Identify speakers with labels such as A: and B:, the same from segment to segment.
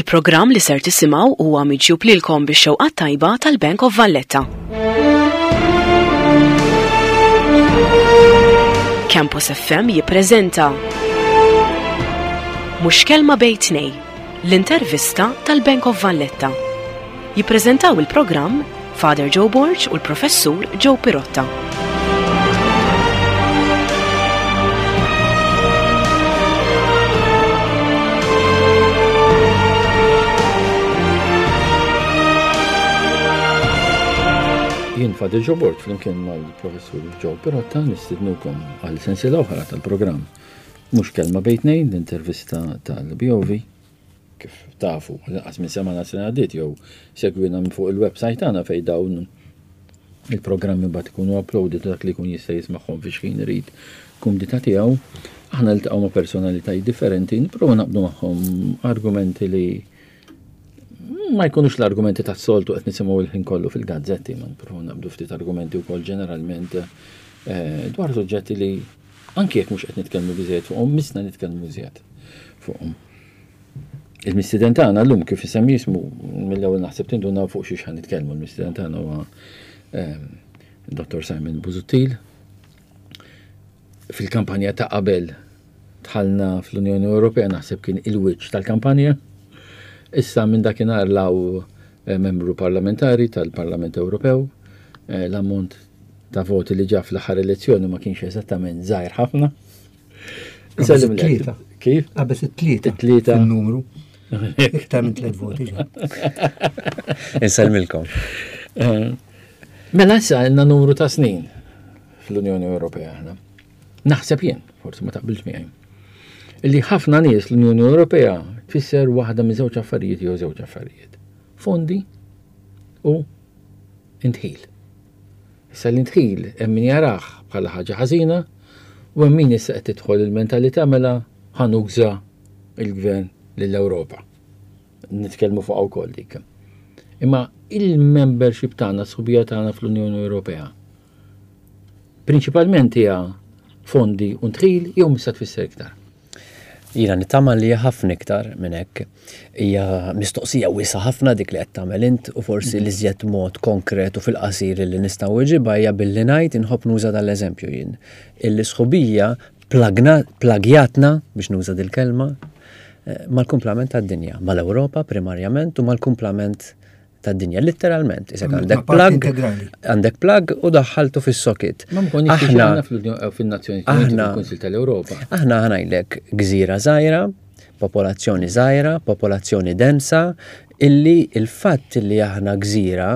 A: Il-programm li ser tisimgħu huwa miġjub lilkom bix-xewqa tajba tal-Bank of Valletta. Campus FM jippreżenta Mhux kelma bejn tnej, l-intervista tal-Bank of Valletta. Jippreżentaw il-programm Father Joe Borg u l-Professur Joe Pirotta.
B: Jien Father Joe Borg flimkien mal-Professur Joe Pirotta nistidnukom għal sensiela oħra tal-programm Mhux kelma bejn tnejn l-intervista tal-BOV Kif tafu, lanqas minn semana sena għaddiet jew segwina minn fuq il-website tagħna fejn dawn il-programmi mbagħad ikunu uploaded dak li jkun jista' jismagħhom fi xħin irid kumdità tiegħu. Aħna niltaqgħu ma' personalitajiet differenti, nipprova naqbdu magħhom argumenti li ma jkunux l-argumenti tas-soltu qed nisimgħu l-ħin kollu fil-gazzetti, ma nipprova naqbdu ftit argumenti wkoll ġeneralment eh, dwar suġġetti li anke jekk mhux qed nitkellmu biżejjed fuqhom, misna nitkellmu iżjed fuqhom. Il-mistieden tagħna llum kif isemmi jismu mill-ewwel naħseb tindunaw fuq xiex ħan nitkellmu. Il-mistieden tagħna huwa ehm, Dr. Simon Busuttil. Fil-kampanja ta' qabel dħalna fl-Unjoni Ewropea naħseb kien il-wiċċ tal-kampanja. Issa minn dakinhar law eh, membru parlamentari tal-Parlament Ewropew, eh, l-ammont ta' voti li ġa fl-aħħar elezzjoni ma kienx eżattament żgħir ħafna.
C: Tlieta.
B: Kif?
C: Qabes it-tlieta.
B: It-tlieta.
C: Numru. Iktar minn tliet voti.
D: Insellmilkom.
B: Eh, mela issa għandna numru ta' snin fl-Unjoni Ewropea aħna. Naħseb jien, forsi ma taqbilx miegħi. Illi ħafna nies l-Unjoni Ewropea tfisser waħda minn żewġ affarijiet jew żewġ affarijiet. Fondi u intħil. Issa l-indħil hemm min jarah bħala ħaġa ħażina u hemm min issa qed tidħol il-mentalità mela ħa nuża l-gvern lill-Ewropa. Nitkellmu fuqha wkoll dik. Imma il-membership tagħna, s-sħubija tagħna fl-Unjoni Ewropea, prinċipalment hija fondi u ndħil jew mista tfisser iktar?
D: Jiena nittama li ħafna iktar minn hekk. Hija mistoqsija wiesgħa ħafna dik li qed tagħmel int u forsi li żjed mod konkret u fil-qasir li nista' nweġibha hija billi ngħid inħobb nuża dal-eżempju jien. Illi sħubija plagjatna biex nuża dil-kelma eh, mal-kumplament tad-dinja, mal-Ewropa primarjament u mal-kumplament tad-dinja, litteralment. Isek għandek plug, għandek plug u daħħaltu fis-socket.
B: Aħna fil-Nazzjoni aħna fil-Kunsil tal-Ewropa.
D: Aħna ħanajlek gżira żgħira, popolazzjoni żgħira, popolazzjoni densa, illi il-fatt li aħna gżira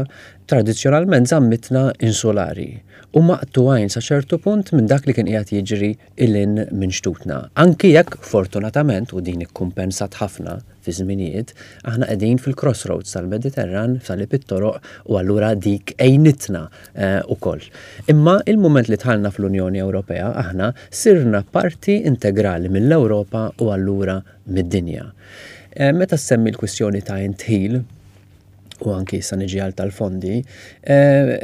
D: tradizzjonalment żammitna insulari u maqtugħin sa ċertu punt minn dak li kien qiegħed jiġri ilin minn xtutna. Anki jekk fortunatament u din ikkumpensat ħafna fi żminijiet, aħna qegħdin fil-crossroads tal-Mediterran, f'salib it-toroq u allura dik għinitna eh, ukoll. Imma il-mument li dħalna fl-Unjoni Ewropea aħna sirna parti integrali mill-Ewropa u allura mid-dinja. Eh, meta semmi l-kwistjoni ta' intħil, u anki issa niġi għal tal-fondi, eh,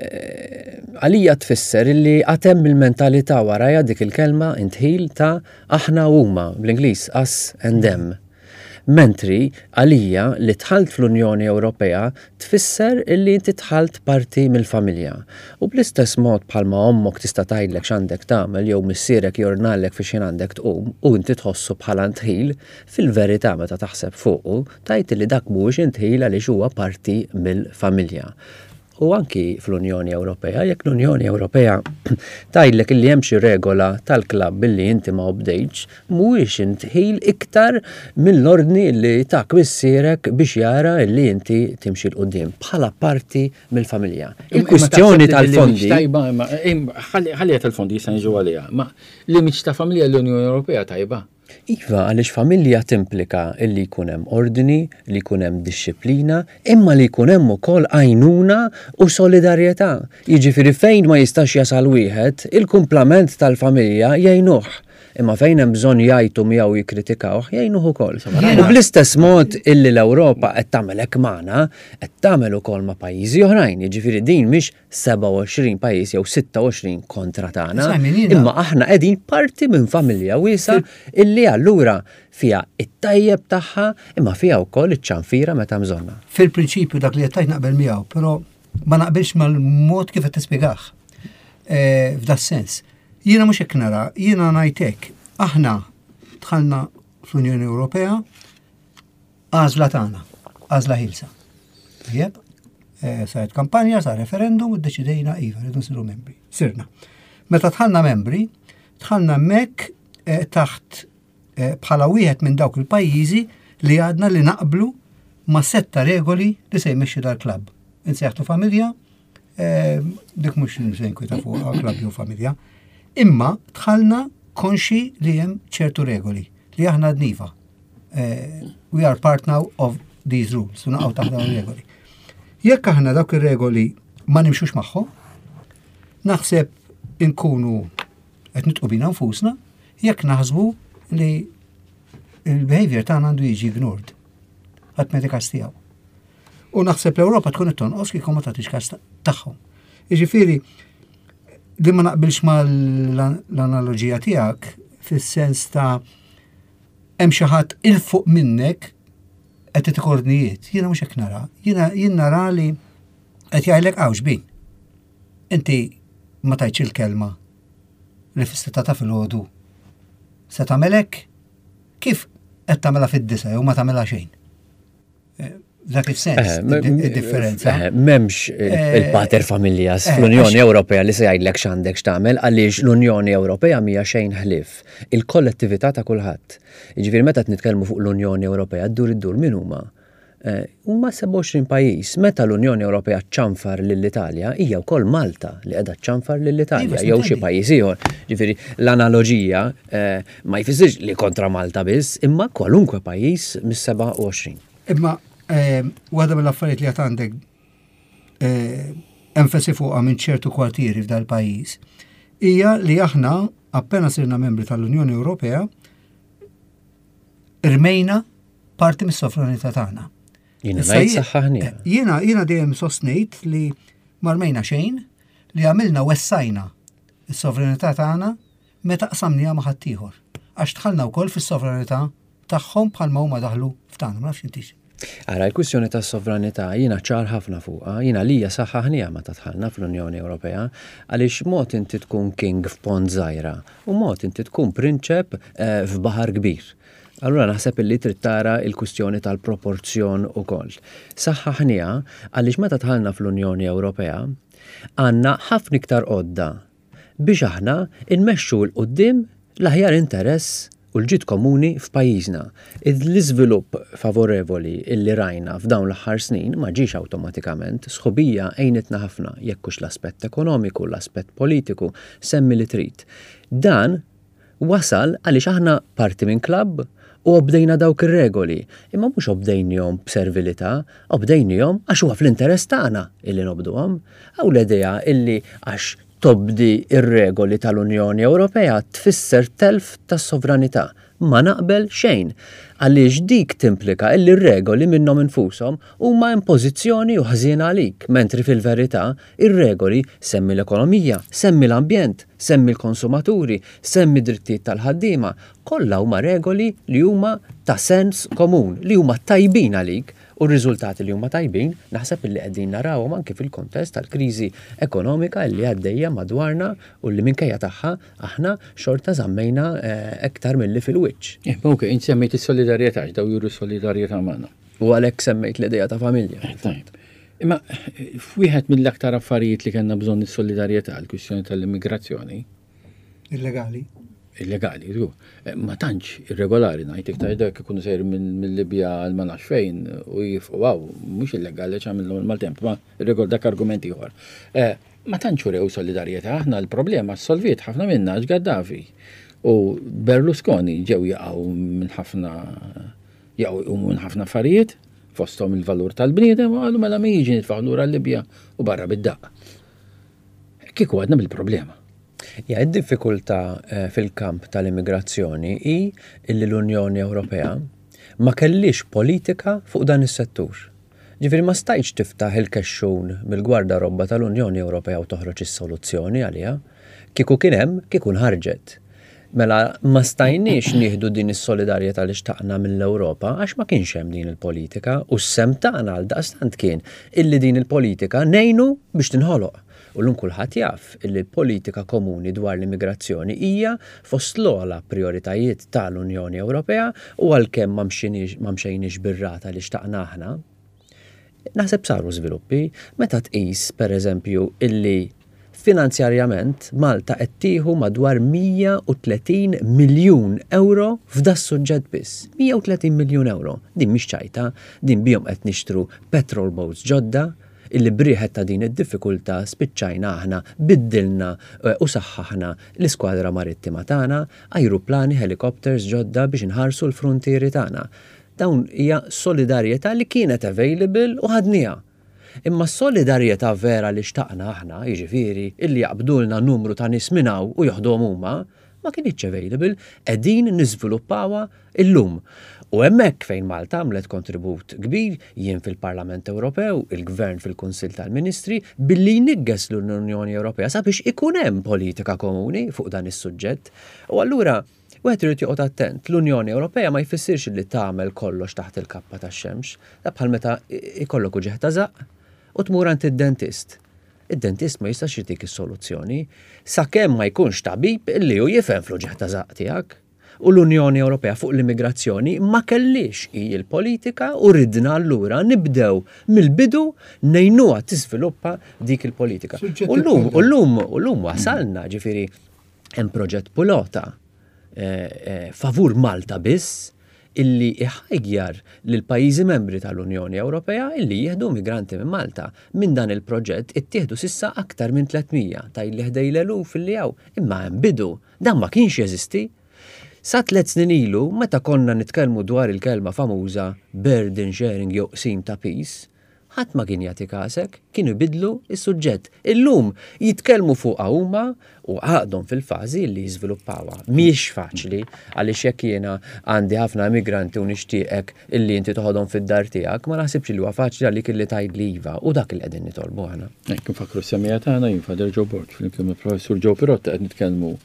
D: għalija tfisser li għatem il-mentalità warajja dik il-kelma intħil ta' aħna huma, bl-Ingliż us and them. Mentri, għalija, li dħalt fl-Unjoni Ewropea tfisser illi inti dħalt parti mill-familja. U bl-istess mod bħalma ommok tista' tgħidlek x'għandek tagħmel jew missierek jordnalek fi x'ħin għandek tqum u inti tħossu bħala ndħil, fil-verità meta taħseb fuqu, tgħid illi dak mhuwiex indħil għaliex huwa parti mill-familja. U anki fl-Unjoni Ewropea, jekk l-Unjoni Ewropea tgħidlek illi hemm xi regola tal-klabb illi inti ma obdejtx, mhuwiex indħil iktar mill-ordni li tak missierek biex jara illi inti timxi 'l quddiem bħala parti mill-familja. Il-kwistjoni tal-fondi.
B: Tajba, ħalliha tal-fondi jista' niġu għaliha, ma l-image ta' familja l-Unjoni Ewropea tajba.
D: Iva, għaliex familja timplika li jkun hemm ordni, li jkun hemm dixxiplina, imma li jkun hemm ukoll għajnuna u solidarjetà. Jiġifieri fejn ma jistax jasal wieħed, il-kumplament tal-familja jgħinuh. Imma fejn hemm bżonn jgħajtu miegħu jikkritikawh, jgħinuh ukoll. U bl-istess mod illi l-Ewropa qed tagħmel hekk magħna, qed tagħmel ukoll ma' pajjiżi oħrajn. Jiġifieri din mhix 27 pajjiż jew 26 kontra tagħna. Imma aħna qegħdin parti minn familja wiesgħa illi allura fiha it-tajjeb tagħha imma fiha wkoll iċ-ċanfira meta bżonnha.
C: Fil-prinċipju dak li qed tgħid naqbel miegħu, però ma naqbilx mal-mod kif qed tispjegah. Eh, f'da sens. Jiena mhux hekk nara, jiena ngħid hekk. Aħna dħalna fl-Unjoni Ewropea għażla tagħna, għażla ħilsa. Tajjeb, eh, saret kampanja, sar referendum u ddeċidejna iva, rridu nsiru membri. Sirna. Meta dħalna membri, dħalna hemmhekk eh, taħt eh, bħala wieħed minn dawk il-pajjiżi li għadna li naqblu ma' setta regoli li se jmexxi dal-klabb. Insejħtu familja, dik mhux se nkwita fuq klabb jew familja. Imma dħalna konxi li hemm ċertu regoli li aħna dniva. Eh, we are part now of these rules, u naqgħu taħt dawn regoli. Jekk aħna dawk ir-regoli ma nimxux magħhom, naħseb inkunu qed nitqu bina nfusna jekk naħsbu li il-behavior tagħna għandu jiġi ignored. Ħadd ma każ tiegħu. U naħseb l-Ewropa tkun qed tonqos kieku ma tagħtix każ tagħhom. Jiġifieri li ma naqbilx mal-analoġija tiegħek fis-sens ta' hemm xi ħadd 'il fuq minnek qed itik ordnijiet. Jiena mhux hekk nara. Jiena jien nara li qed jgħidlek hawn bin. Inti ma tajtx il-kelma li fis-sitta ta' filgħodu se tagħmel hekk kif qed tagħmilha fid-disa jew ma tagħmilha xejn. Dak il-sens, eh, il-differenza.
D: Eh, memx eh, il-pater familjas fl-Unjoni Ewropea li se jgħidlek x'għandek x'tagħmel għaliex l-Unjoni Ewropea mija xejn ħlief il-kollettività ta' kulħadd. Jiġifieri meta qed nitkellmu fuq l-Unjoni Ewropea ddur iddur min huma? Huma 27 pajjiż. Meta l-Unjoni Ewropea ċċanfar lill-Italja, hija wkoll Malta li qiegħda ċċanfar lill-Italja iva, jew xi pajjiż ieħor. Ġifieri l-analoġija ma jfissirx li kontra Malta biss, imma kwalunkwe pajjiż mis-27.
C: Imma eh, waħda mill-affarijiet li għad għandek eh, enfasi fuqha minn ċertu kwartieri f'dal pajjiż hija li aħna appena sirna membri tal-Unjoni Ewropea irmejna parti mis-sovranità tagħna.
D: Jiena ngħid saħħaħni. Eh,
C: jiena jiena dejjem sostnejt li marmejna xejn li għamilna wessajna s-sovranità tagħna meta qsamniha ma' ħaddieħor, għax dħalna wkoll fis-sovranità tagħhom bħalma huma daħlu f'tagħna, ma nafx intix.
D: Ara, l-kwistjoni tas-sovranità jiena ċar ħafna fuqha, jiena għalija saħħaħniha meta dħalna fl-Unjoni Ewropea, għaliex mod inti tkun king f'pond żgħira u mod inti tkun prinċep eh, f'baħar kbir. Allura naħseb illi trid tara l-kwistjoni tal-proporzjon ukoll. Saħħaħniha għaliex meta dħalna fl-Unjoni Ewropea għandna ħafna iktar għodda biex aħna nmexxu 'l quddiem l-aħjar interess u l-ġid komuni f'pajjiżna. L-iżvilupp favorevoli li rajna f'dawn l-aħħar snin ma ġiex awtomatikament. Sħubija għinitna ħafna, jekk hux l-aspett ekonomiku, l-aspett politiku, semmi li trid. Dan wasal għaliex aħna parti minn klabb u obdejna dawk ir-regoli. Imma mhux obdejnihom b'servilità, obdejnihom għax huwa fl-interess tagħna illi nobduhom. Hawn l-idea illi għax tobdi r-regoli tal-Unjoni Ewropea tfisser telf tas-sovranità. Ma naqbel xejn. Għaliex dik timplika illi r-regoli minnhom infushom huma impożizzjoni u ħżiena għalik, mentri fil-verità Ir-regoli, semmi l-ekonomija, semmi l-ambjent, semmi l-konsumaturi, semmi d-drittijiet tal-ħaddiema, kollha huma regoli li huma ta' sens komun, li huma tajbin għalik u r-riżultati li huma tajbin naħseb illi qegħdin narawhom anki fil-kontest tal-kriżi ekonomika li għaddejja madwarna u li minkejja tagħha aħna xorta żammejna iktar milli fil-wiċċ.
B: Eh, ok, int semmejt is-solidarjetà, daw juru solidarjetà magħna.
D: U għalhekk semmejt l-idea ta' familja.
B: Eh, tajb. Imma f'wieħed mill-aktar affarijiet li kellna bżonn is-solidarjetà, l-kwistjoni tal-immigrazzjoni.
C: Illegali.
B: Illegali, żgur. Eh, ma tantx irregolari ngħid iktar dak ikunu sejr mill-Libja għal ma nafx fejn u jifqu għaw, mhux illegali għax għamilhom il-maltemp, ma irregol dak argument ieħor. Eh, ma tantx urew solidarjetà, aħna l-problema solviet ħafna minna għax Gaddafi u Berlusconi ġew jaqgħu minn ħafna Jaqgħu jqumu minn ħafna affarijiet, fosthom il-valur tal-bniedem, u qalu mela min jiġi nitfgħuh lura l-Libja u barra bid-daqq. Kieku għadna bil-problema.
D: Ja, id-diffikultà eh, fil-kamp tal-immigrazzjoni hi illi l-Unjoni Ewropea ma kellix politika fuq dan is-settur. Ġifieri ma stajtx tiftaħ il-kexxun mill-gwardarobba tal-Unjoni Ewropea u toħroġ is-soluzzjoni għaliha. Kieku kien hemm, kieku nħarġet. Mela ma stajniex nieħdu din is-solidarjetà li xtaqna mill-Ewropa għax ma kienx hemm din il-politika u s-sehem tagħna għaldaqstant kien illi din il-politika ngħinu biex tinħoloq. U llum kulħadd jaf illi l-politika komuni dwar l-immigrazzjoni hija fost l-ogħla prijoritajiet ta' l-Unjoni Ewropea u għalkemm ma mxejniex bir-rata li xtaqna aħna, naħseb saru żviluppi meta tqis, per eżempju, illi finanzjarjament Malta qed tieħu madwar 130 miljun ewro f'das-suġġett biss. 130 miljun ewro. Din mhix ċajta, din bihom qed nixtru petrol boats ġodda, illi b'riħet ta' din id-diffikultà spiċċajna aħna biddilna u saħħaħna l-iskwadra marittima tagħna, ajruplani, helicopters ġodda biex inħarsu l-fruntieri tagħna. Dawn hija solidarjetà li kienet available u ħadniha. Imma s-solidarjetà vera li xtaqna aħna, jiġifieri illi jaqbdulna numru ta' nies minn hawn u joħduhom huma, ma kinitx available, qegħdin niżviluppawha illum. U hemmhekk fejn Malta għamlet kontribut kbir, jien fil-Parlament Ewropew, il-Gvern fil-Kunsill tal-Ministri, billi jniggeż lill-Unjoni Ewropea sabiex ikun hemm politika komuni fuq dan is-suġġett. U allura wieħed irid joqgħod attent, l-Unjoni Ewropea ma jfissirx li tagħmel kollox taħt il-kappa tax-xemx. Da bħal meta ikollok uġigħ ta' żaqq u tmur għand id-dentist. Id-dentist ma jistax jtik is-soluzzjoni sakemm ma jkunx tabib illi hu jifhem fl-uġigħ ta' żaqq tiegħek. U l-Unjoni Ewropea fuq l-immigrazzjoni ma kellhiex hi l-politika u ridna allura nibdew mill-bidu ngħinuha tiżviluppa dik il-politika. U llum, u llum, u llum wasalna, ġifieri hemm proġett pilota favur Malta biss illi iħajjar lill-pajjiżi membri tal-Unjoni Ewropea illi jieħdu migranti minn Malta. Minn dan il-proġett ittieħdu s'issa aktar minn 300, tgħidli ħdej l-eluf illi hawn, imma hemm bidu. Dan ma kienx jeżisti. Sa tlett snin ilu, meta konna nitkellmu dwar il-kelma famuża burden sharing jew qsim ta' piż, Ħadd ma kien jagħti kasek, kienu jbiddlu s-suġġett. Illum jitkellmu fuqha huma u għadhom fil-fażi li jiżviluppawha. Mhijiex faċli għaliex jekk jiena għandi ħafna immigranti u nixtieqek illi inti toħodhom fid-dar tiegħek, ma naħsibx li huwa faċli għalik illi tgħidli iva u dak li qegħdin nitolbu aħna.
B: Hekk infakkru s-semmiegħa tagħna, jien Father Joe Borg flimkien mal-Professur Joe Pirotta qed nitkellmu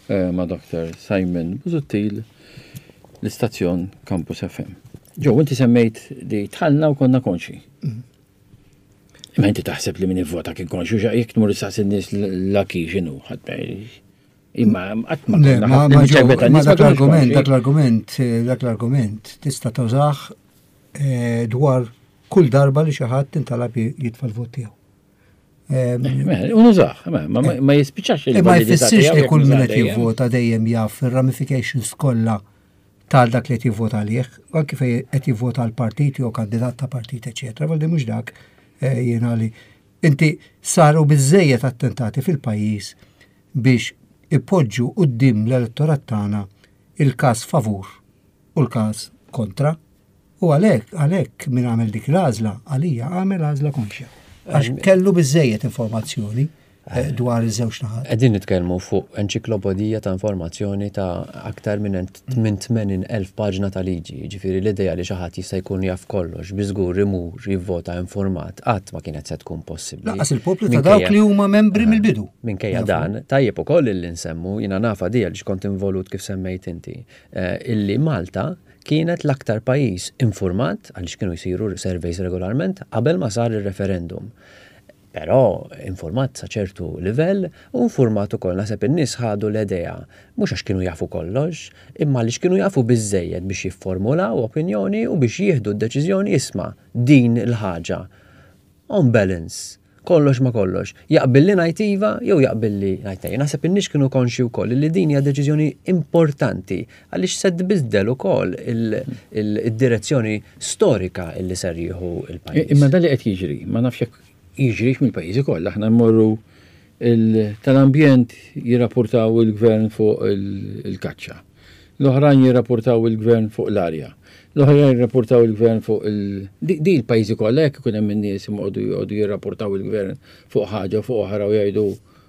B: ma' Dr. Simon Busuttil l-istazzjon Campus FM. Ġo, inti semmejt li tħallna u konna konxi. Mm. Imma inti taħseb li min ivvota kien konxu, jekk tmur issaqsi n-nies l-aki x'inhu, Imma qatt ma
C: ma dak l-argument, dak l-argument, eh, dak l-argument tista' tużah eh, dwar kull darba li xi ħadd intalab jitfa' l-vot tiegħu.
B: Unużaħ, ma jispiċax
C: il Ma jfissirx li kull min qed jivvota dejjem jaf ir-ramifications kollha tal dak li qed jivvota għalih, anki fejn qed jivvota għal partit jew kandidat ta' partit, eċetera. Valdi mhux dak eh, jiena li inti saru biżejjed attentati fil-pajjiż biex ipoġġu quddiem l-elettorat tagħna il-każ favur u l-każ kontra. U għalhekk, għalhekk min għamel dik l-għażla, għalija għamel għażla konxja. Għax kellu biżejjed informazzjoni eh, dwar iż-żewġ naħat.
D: Qegħdin nitkellmu fuq enċiklopedija ta' informazzjoni ta' aktar minn 80,000 paġna ta' liġi. Jiġifieri l-idea li xi ħadd jista' jkun jaf kollox bi żgur imur jivvota informat qatt ma kienet se tkun possibbli.
C: Lanqas il-poplu ta' dawk li huma membri eh, mill-bidu.
D: Minkejja dan, tajjeb ukoll illi nsemmu, jiena nafa di għaliex kont involut kif semmejt inti, eh, illi Malta Kienet l-aktar pajjiż infurmat, għaliex kienu jsiru surveys regolarment, qabel ma sar ir-referendum. Però infurmat sa ċertu livell u infurmat ukoll naħseb in-nies ħadu l-idea mhux għax kienu jafu kollox, imma għaliex kienu jafu biżżejjed biex jifformulaw opinjoni u biex jieħdu d-deċiżjoni isma' din il-ħaġa on balance, kollox ma' kollox, jaqbilli ngħid iva jew jaqbilli ngħid le. Naħseb in-nies kienu konxji wkoll li din hija deċiżjoni importanti għaliex se tbiddel ukoll id-direzzjoni storika li ser jieħu l-pajjiż.
B: Imma dan li qed jiġri, ma nafx jekk jiġrix mill-pajjiżi kollha, aħna mmorru tal-ambjent jirrapportaw il-gvern fuq il-kaċċa. L-oħrajn jirrapportaw il-gvern fuq l-arja. L-oħrajn jirrapportaw il-gvern fuq il. Di l-pajjiżi kollha jekk ikun hemm in-nies imqogħdu joqogħdu jirrapportaw il-gvern fuq ħaġa fuq oħra u jgħidu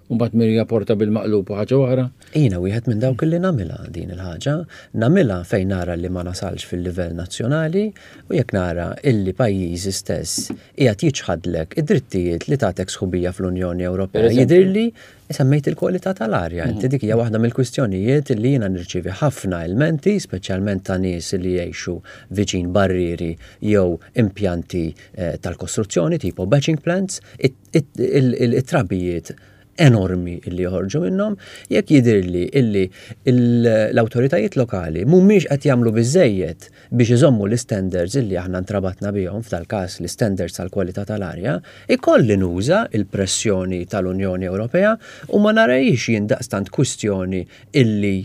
B: u mbagħad min jirrapporta bil-maqlub u ħaġa oħra.
D: Jiena wieħed minn dawk li nagħmilha din il-ħaġa. Nagħmilha fejn nara li ma nasalx fil-livell nazzjonali u jekk nara illi pajjiżi stess qiegħed jiċħadlek id-drittijiet li tagħtek sħubija fl-Unjoni Ewropea. Jidhirli semmejt il-kwalità tal-arja. Inti dik hija waħda mill-kwistjonijiet li jiena nirċievi ħafna ilmenti, speċjalment ta' nies li jgħixu viċin barrieri jew impjanti eh, tal-kostruzzjoni tipo batching plants, it-trabijiet enormi illi joħorġu minnhom, jekk jidhirli illi l-awtoritajiet lokali mhumiex qed jagħmlu biżejjed biex iżommu l-istandards illi aħna ntrabatna bihom, f'dal-każ l-istandards tal-kwalità tal-arja, ikolli nuża l-pressjoni tal-Unjoni Ewropea u ma narahiex jien daqstant kwistjoni illi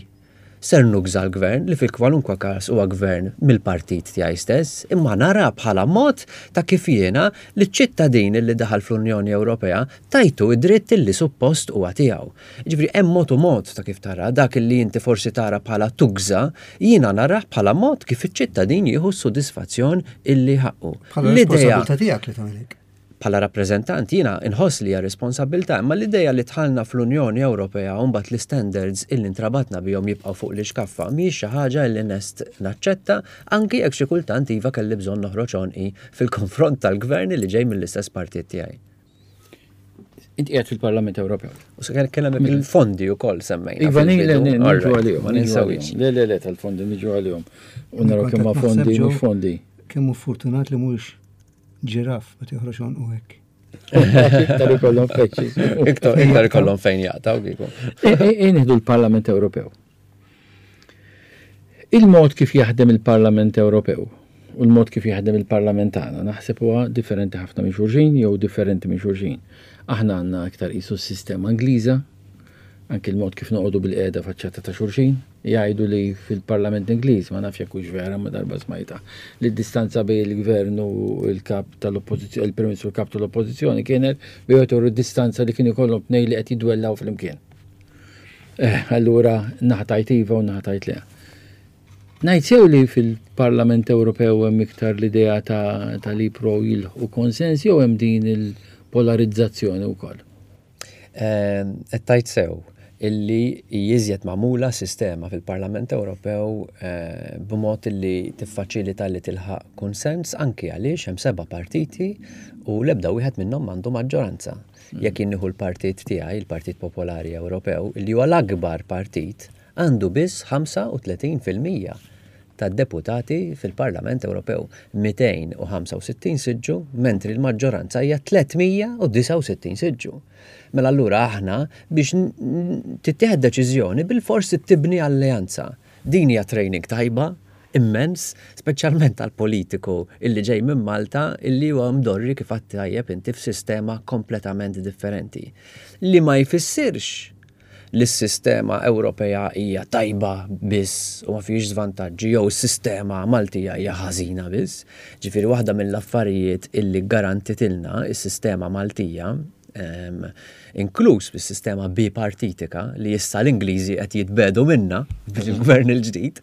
D: Ser nugża l-Gvern, li fi kwalunkwe każ huwa Gvern mill-partit tiegħi stess, imma nara bħala mod ta' kif jiena liċ-ċittadin li daħal fl-Unjoni Ewropea tajtu d-dritt li suppost huwa tiegħu. Jiġifieri hemm mod u mod ta' kif tara, dak li inti forsi tara bħala tugża, jiena narah bħala mod kif iċ-ċittadin jieħu s-sodisfazzjon illi ħaqqu.
C: Bħala responsabbiltà tiegħek li tagħmel hekk.
D: Bħala rappreżentant jiena inħoss li hija responsabbiltà, imma l-idea li dħalna fl-Unjoni Ewropea u mbagħad l-istandards illi ntrabatna bihom jibqgħu fuq l-ixkaffa mhijiex xi ħaġa illi lest naċċetta, anki jekk xi kultant iva kelli bżonn noħroġ għonqi fil-konfront tal-Gvern illi ġej mill-istess partit tiegħi.
B: Inti qiegħed fil-Parlament Ewropew.
D: U se kien hemm il-fondi wkoll semmejna.
B: Iva, le, le, niġu għalihom. Ma ninsewx. Le, le, le, tal-fondi niġu għalihom. U naraw kemm fondi mhux fondi.
C: Kemm hu fortunat li mhux Ġiraf, ma tiħroġ għonqu hekk.
B: Iktar ikollhom feċċi.
D: Iktar ikollhom fejn jaqtaw kieku.
B: Inħdu l-Parlament Ewropew. Il-mod kif jaħdem il-Parlament Ewropew u l-mod kif jaħdem il-Parlament tagħna naħseb huwa differenti ħafna minn xulxin jew differenti minn xulxin. Aħna għandna iktar qisu s-sistema Ingliża, Anki l-mod kif noqogħdu bilqiegħda faċċata ta' xulxin. Jgħidu li fil-Parlament Ingliż, ma nafx jekk hux vera, imma darba smajtha, li d-distanza bejn il-Gvern u l-Kap tal-Oppożizzjoni, il-Prim Ministru u l-Kap tal-Oppożizzjoni kienet bejn wieħed u d-distanza li kien ikollhom tnejn li qed jidwellaw flimkien. Eh, allura naħa tajt iva u naħa tajt le. Ngħid sew li fil-Parlament Ewropew hemm iktar l-idea ta', ta li pro jilħqu konsens jew hemm din il-polarizzazzjoni wkoll?
D: Qed tgħid sew illi hi iżjed magħmula sistema fil-Parlament Ewropew eh, b'mod illi tiffaċilita li tilħaq kunsens anki għaliex hemm seba' partiti u l-ebda wieħed minnhom m'għandu maġġoranza. Mm. Jekk jien nieħu l-partit tiegħi, il-Partit Popolari Ewropew, illi huwa l-akbar partit, għandu biss 35% tad-deputati fil-Parlament Ewropew, 265 siġġu, mentri l-maġġoranza hija 369 siġġu. Mela allura aħna biex tittieħed deċiżjoni bilfors trid tibni alleanza. Din hija training tajba immens, speċjalment għal politiku illi ġej minn Malta illi huwa mdorri kif għedt tajjeb inti f'sistema kompletament differenti. Li ma jfissirx li s-sistema Ewropea hija tajba biss u ma fihiex żvantaġġi jew is-sistema Maltija hija ħażina biss. Ġifieri waħda mill-affarijiet illi ggarantitilna s-sistema Maltija, inkluż bis-sistema bipartitika li issa l-Ingliżi qed jitbiegħdu minnha bil-gvern il-ġdid,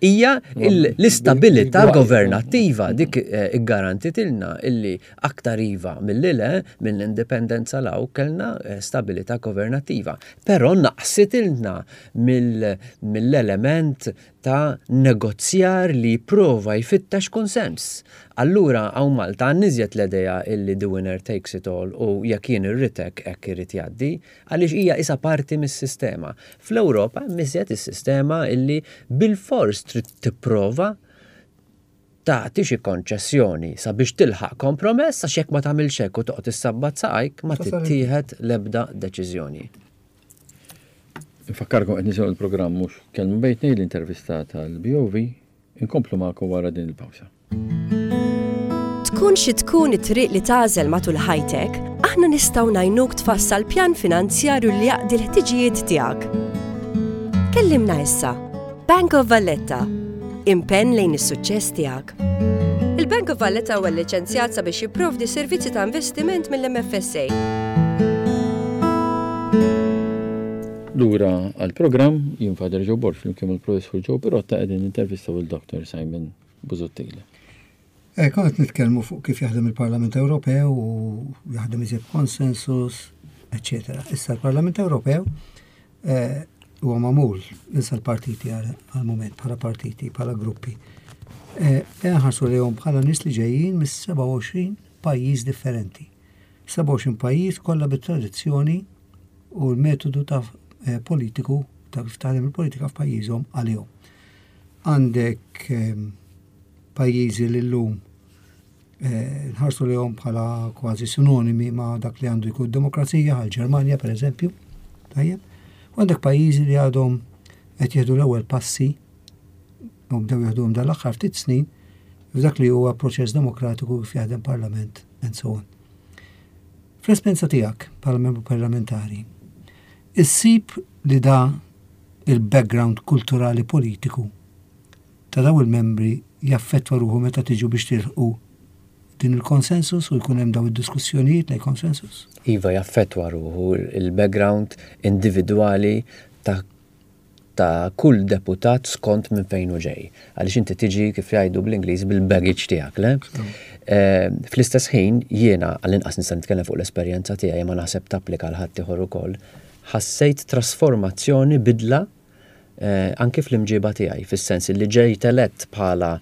D: hija l-istabilità governattiva dik eh, iggarantitilna illi aktar iva milli le mill-indipendenza law kellna eh, stabilità governattiva. Però naqsitilna mill-element ta' negozjar li jipprova jfittex kunsens. Allura hawn Malta għandna iżjed l-idea illi the winner takes it all u jekk jien irrid hekk hekk irid jgħaddi. Għaliex hija qisha parti mis-sistema. Fl-Ewropa hemm iżjed is-sistema illi bilfors trid tipprova tagħti xi konċessjoni sabiex tilħaq kompromess għax jekk ma tagħmilx hekk u toqgħod issabbat saqajk ma tittieħed l-ebda deċiżjoni.
B: Infakkarkom qed nisimgħu l-programm mhux Kelma Bejn Tnejn l-intervista tal-BOV Inkomplu magħkom wara din il-pawsa.
A: Tkun xi tkun it-triq li tagħżel matul ħajtek, aħna nistgħu ngħinuk tfassal pjan finanzjarju li jaqdi l-ħtiġijiet tiegħek. Kellimna issa. Bank of Valletta. Impenn lejn is-suċċess tiegħek. Il-Bank of Valletta huwa lliċenzjat sabiex jipprovdi servizzi ta' investiment mill-MFSA.
B: Lura għall-programm, jien Father Joe Borg flimkien mal-Professur Joe Pirotta qegħdin nintervistaw lil Dr. Simon Busuttil.
C: Eh, konna qed nitkellmu fuq kif jaħdem il-Parlament Ewropew u jaħdem iżjed konsensus. eċċetera. Issa l-Parlament Ewropew eh, huwa magħmul issa l-partiti għal-mument bħala partiti, bħala gruppi. Eh, nħarsu lejhom bħala nies li ġejjin mis-27 pajjiż differenti. 27 pajjiż kollha bit-tradizzjoni u l-metodu ta' eh, politiku ta' kif taħdem il-politika f'pajjiżhom għalihom. Għandek ehm, pajjiżi li llum eh, nħarsu lejhom bħala kważi sinonimi ma' dak li għandu jkun demokrazija, għal Ġermanja per eżempju. Tajjeb. U għandek pajjiżi li għadhom qed jieħdu l-ewwel passi u bdew jieħduhom dal-aħħar ftit snin f'dak li huwa proċess demokratiku kif jaħdem parlament and so on. Fl-esperjenza tiegħek bħala membru parlamentari, issib li da il-background kulturali politiku ta' daw il-membri jaffettwa ruħu meta tiġu biex tilħqu din il-konsensus u jkun hemm daw id-diskussjonijiet lejn konsensus?
D: Iva jaffettwa ruħu il-background individwali ta' ta' kull deputat skont minn fejn hu ġej. Għaliex inti tiġi kif jgħidu bl-Ingliż bil-baggage tiegħek, le? Eh, fl-istess ħin jiena għall-inqas nista' nitkellem fuq l-esperjenza tiegħi ma naħseb tapplika għal ħaddieħor ukoll, ħassejt trasformazzjoni bidla anki fl-imġiba tiegħi, fis-sens li ġejt elett bħala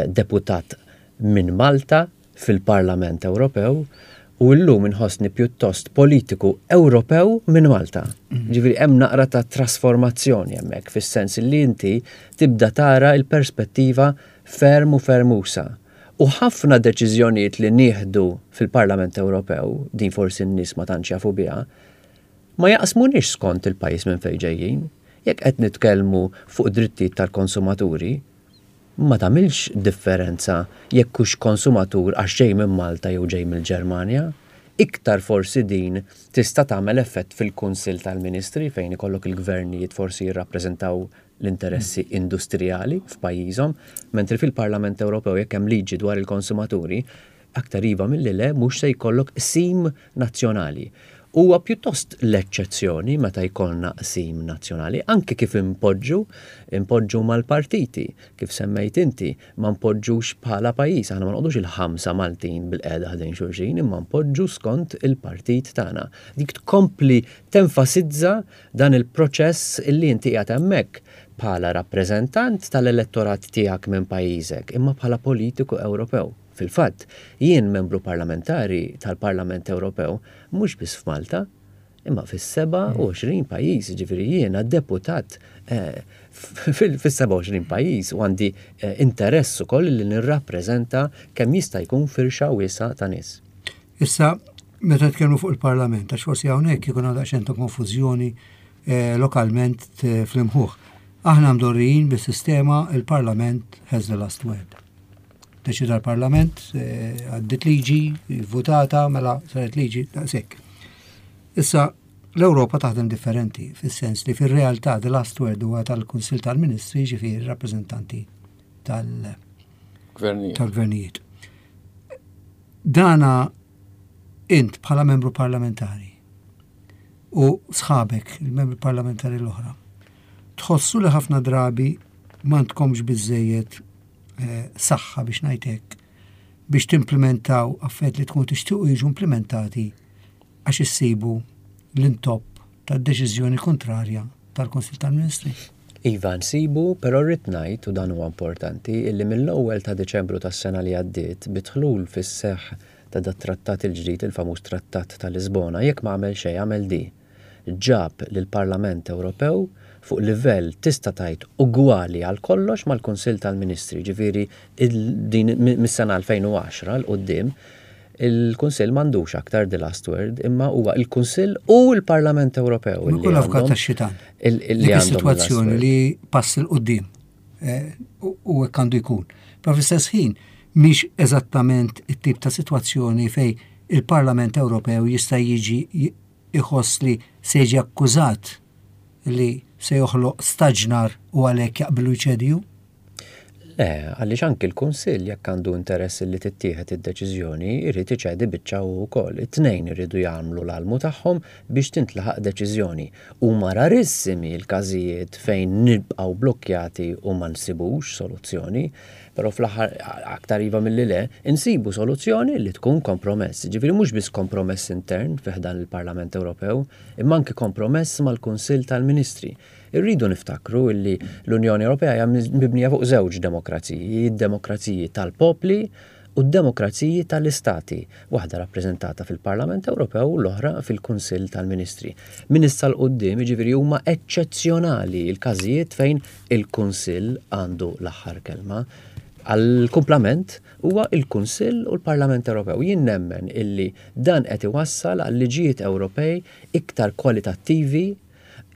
D: deputat minn Malta fil-Parlament Ewropew u llum inħossni pjuttost politiku Ewropew minn Malta. Ġifieri hemm naqra ta' trasformazzjoni hemmhekk fis-sens li inti tibda tara l-perspettiva ferm u ferm usa'. U ħafna deċiżjonijiet li nieħdu fil-Parlament Ewropew, din forsi n-nies ma tantx jafu biha, Ma jaqsmuniex skont il-pajjiż minn fejn ġejjin. Jekk qed nitkellmu fuq drittijiet tal-konsumaturi, ma tagħmilx differenza jekk hux konsumatur għax ġej minn Malta jew ġej mill-Ġermanja. Iktar forsi din tista' tagħmel effett fil-Kunsill tal-Ministri fejn ikollok il-gvernijiet forsi jirrappreżentaw l-interessi industrijali f'pajjiżhom, mentri fil-Parlament Ewropew jekk hemm liġi dwar il-konsumaturi, Aktar iva milli le mhux se jkollok qsim nazzjonali. Huwa pjuttost l-eċċezzjoni meta jkollna qsim nazzjonali, anki kif inpoġġu, inpoġġu mal-partiti, kif semmejt inti, ma npoġġux bħala pajjiż, aħna ma noqogħdux il-ħamsa Maltin bilqiegħda ħdejn xulxin, imma npoġġu skont il-partit tagħna. Dik tkompli tenfasizza dan il-proċess illi inti qiegħed hemmhekk bħala rappreżentant tal-elettorat tiegħek minn pajjiżek, imma bħala politiku Ewropew. Fil-fatt, jien membru parlamentari tal-Parlament Ewropew mhux biss f'Malta, imma fis-27 pajjiż, jiġifieri jiena deputat eh, fis-27 pajjiż u għandi eh, interess ukoll li nirrappreżenta kemm jista' jkun firxa wiesgħa ta' nies.
C: Issa, meta tkellmu fuq il-Parlament, għax forsi hawnhekk ikun għandha xejn ta' konfużjoni eh, lokalment fl-imħuħ. Aħna mdorrijin bis-sistema il-Parlament has the last word. Deċida l-Parlament, eh, għaddit liġi, votata, mela saret liġi, daqshekk. Issa, l-Ewropa taħdem differenti, fis-sens li fir-realtà the last word huwa tal-Kunsil tal-Ministri, ġifieri rappreżentanti tal-gvernijiet. Dana int bħala membru parlamentari u sħabek, il-membri parlamentari l-oħra, tħossu li ħafna drabi m'għandkomx biżejjed eh, saħħa biex ngħid hekk biex timplementaw affarijiet li tkunu tixtiequ jiġu implementati għax issibu l-intopp tad-deċiżjoni kontrarja tal-Kunsill tal-Ministri.
D: Iva nsibu, però rrid ngħid, u dan huwa importanti, illi mill-ewwel ta' Diċembru tas-sena li għaddiet, bid-dħlul fis-seħħ ta' dat-trattat il-ġdid, il-famuż Trattat ta' Lisbona, jekk ma għamel xejn għamel di. ġab lill-Parlament Ewropew fuq livell tista' tgħid ugwali għal kollox mal-Kunsill tal-Ministri, jiġifieri din mis-sena 2010 'l quddiem il-Kunsill m'għandux aktar the last word imma huwa l-Kunsill u l-Parlament Ewropew.
C: Li kull avukat tax-xitan. Dik is-sitwazzjoni li pass 'il quddiem eh, u hekk għandu jkun. Però fl-istess ħin mhix eżattament it-tip ta' sitwazzjoni fej il-Parlament Ewropew jista' jiġi iħoss li se jiġi akkużat li se joħloq staġnar u għalhekk jaqbillu jċedi hu?
D: Le, għaliex anki l-Kunsill jekk għandu interess li tittieħed id-deċiżjoni, irid iċedi biċċa hu wkoll. It-tnejn iridu jagħmlu l-almu tagħhom biex tintlaħaq deċiżjoni. Huma rarissimi l-każijiet fejn nibqgħu blokkjati u ma nsibux soluzzjoni. però fl-aħħar aktar iva milli le, insibu soluzzjoni li tkun kompromess. Jiġifieri mhux biss kompromess intern fi ħdan il-Parlament Ewropew, imma anki kompromess mal-Kunsill tal-Ministri. Irridu niftakru illi l-Unjoni Ewropea hija mibnija fuq żewġ demokraziji, id-demokraziji tal-popli u d-demokraziji tal-istati, waħda rappreżentata fil-Parlament Ewropew u l-oħra fil-Kunsill tal-Ministri. Minn issa 'l quddiem, jiġifieri huma eċċezzjonali l-każijiet fejn il-Kunsill għandu l-aħħar kelma. Għall-kumplament huwa l-Kunsill u l-Parlament Ewropew. Jien nemmen illi dan qed iwassal għal liġijiet Ewropej iktar kwalitattivi,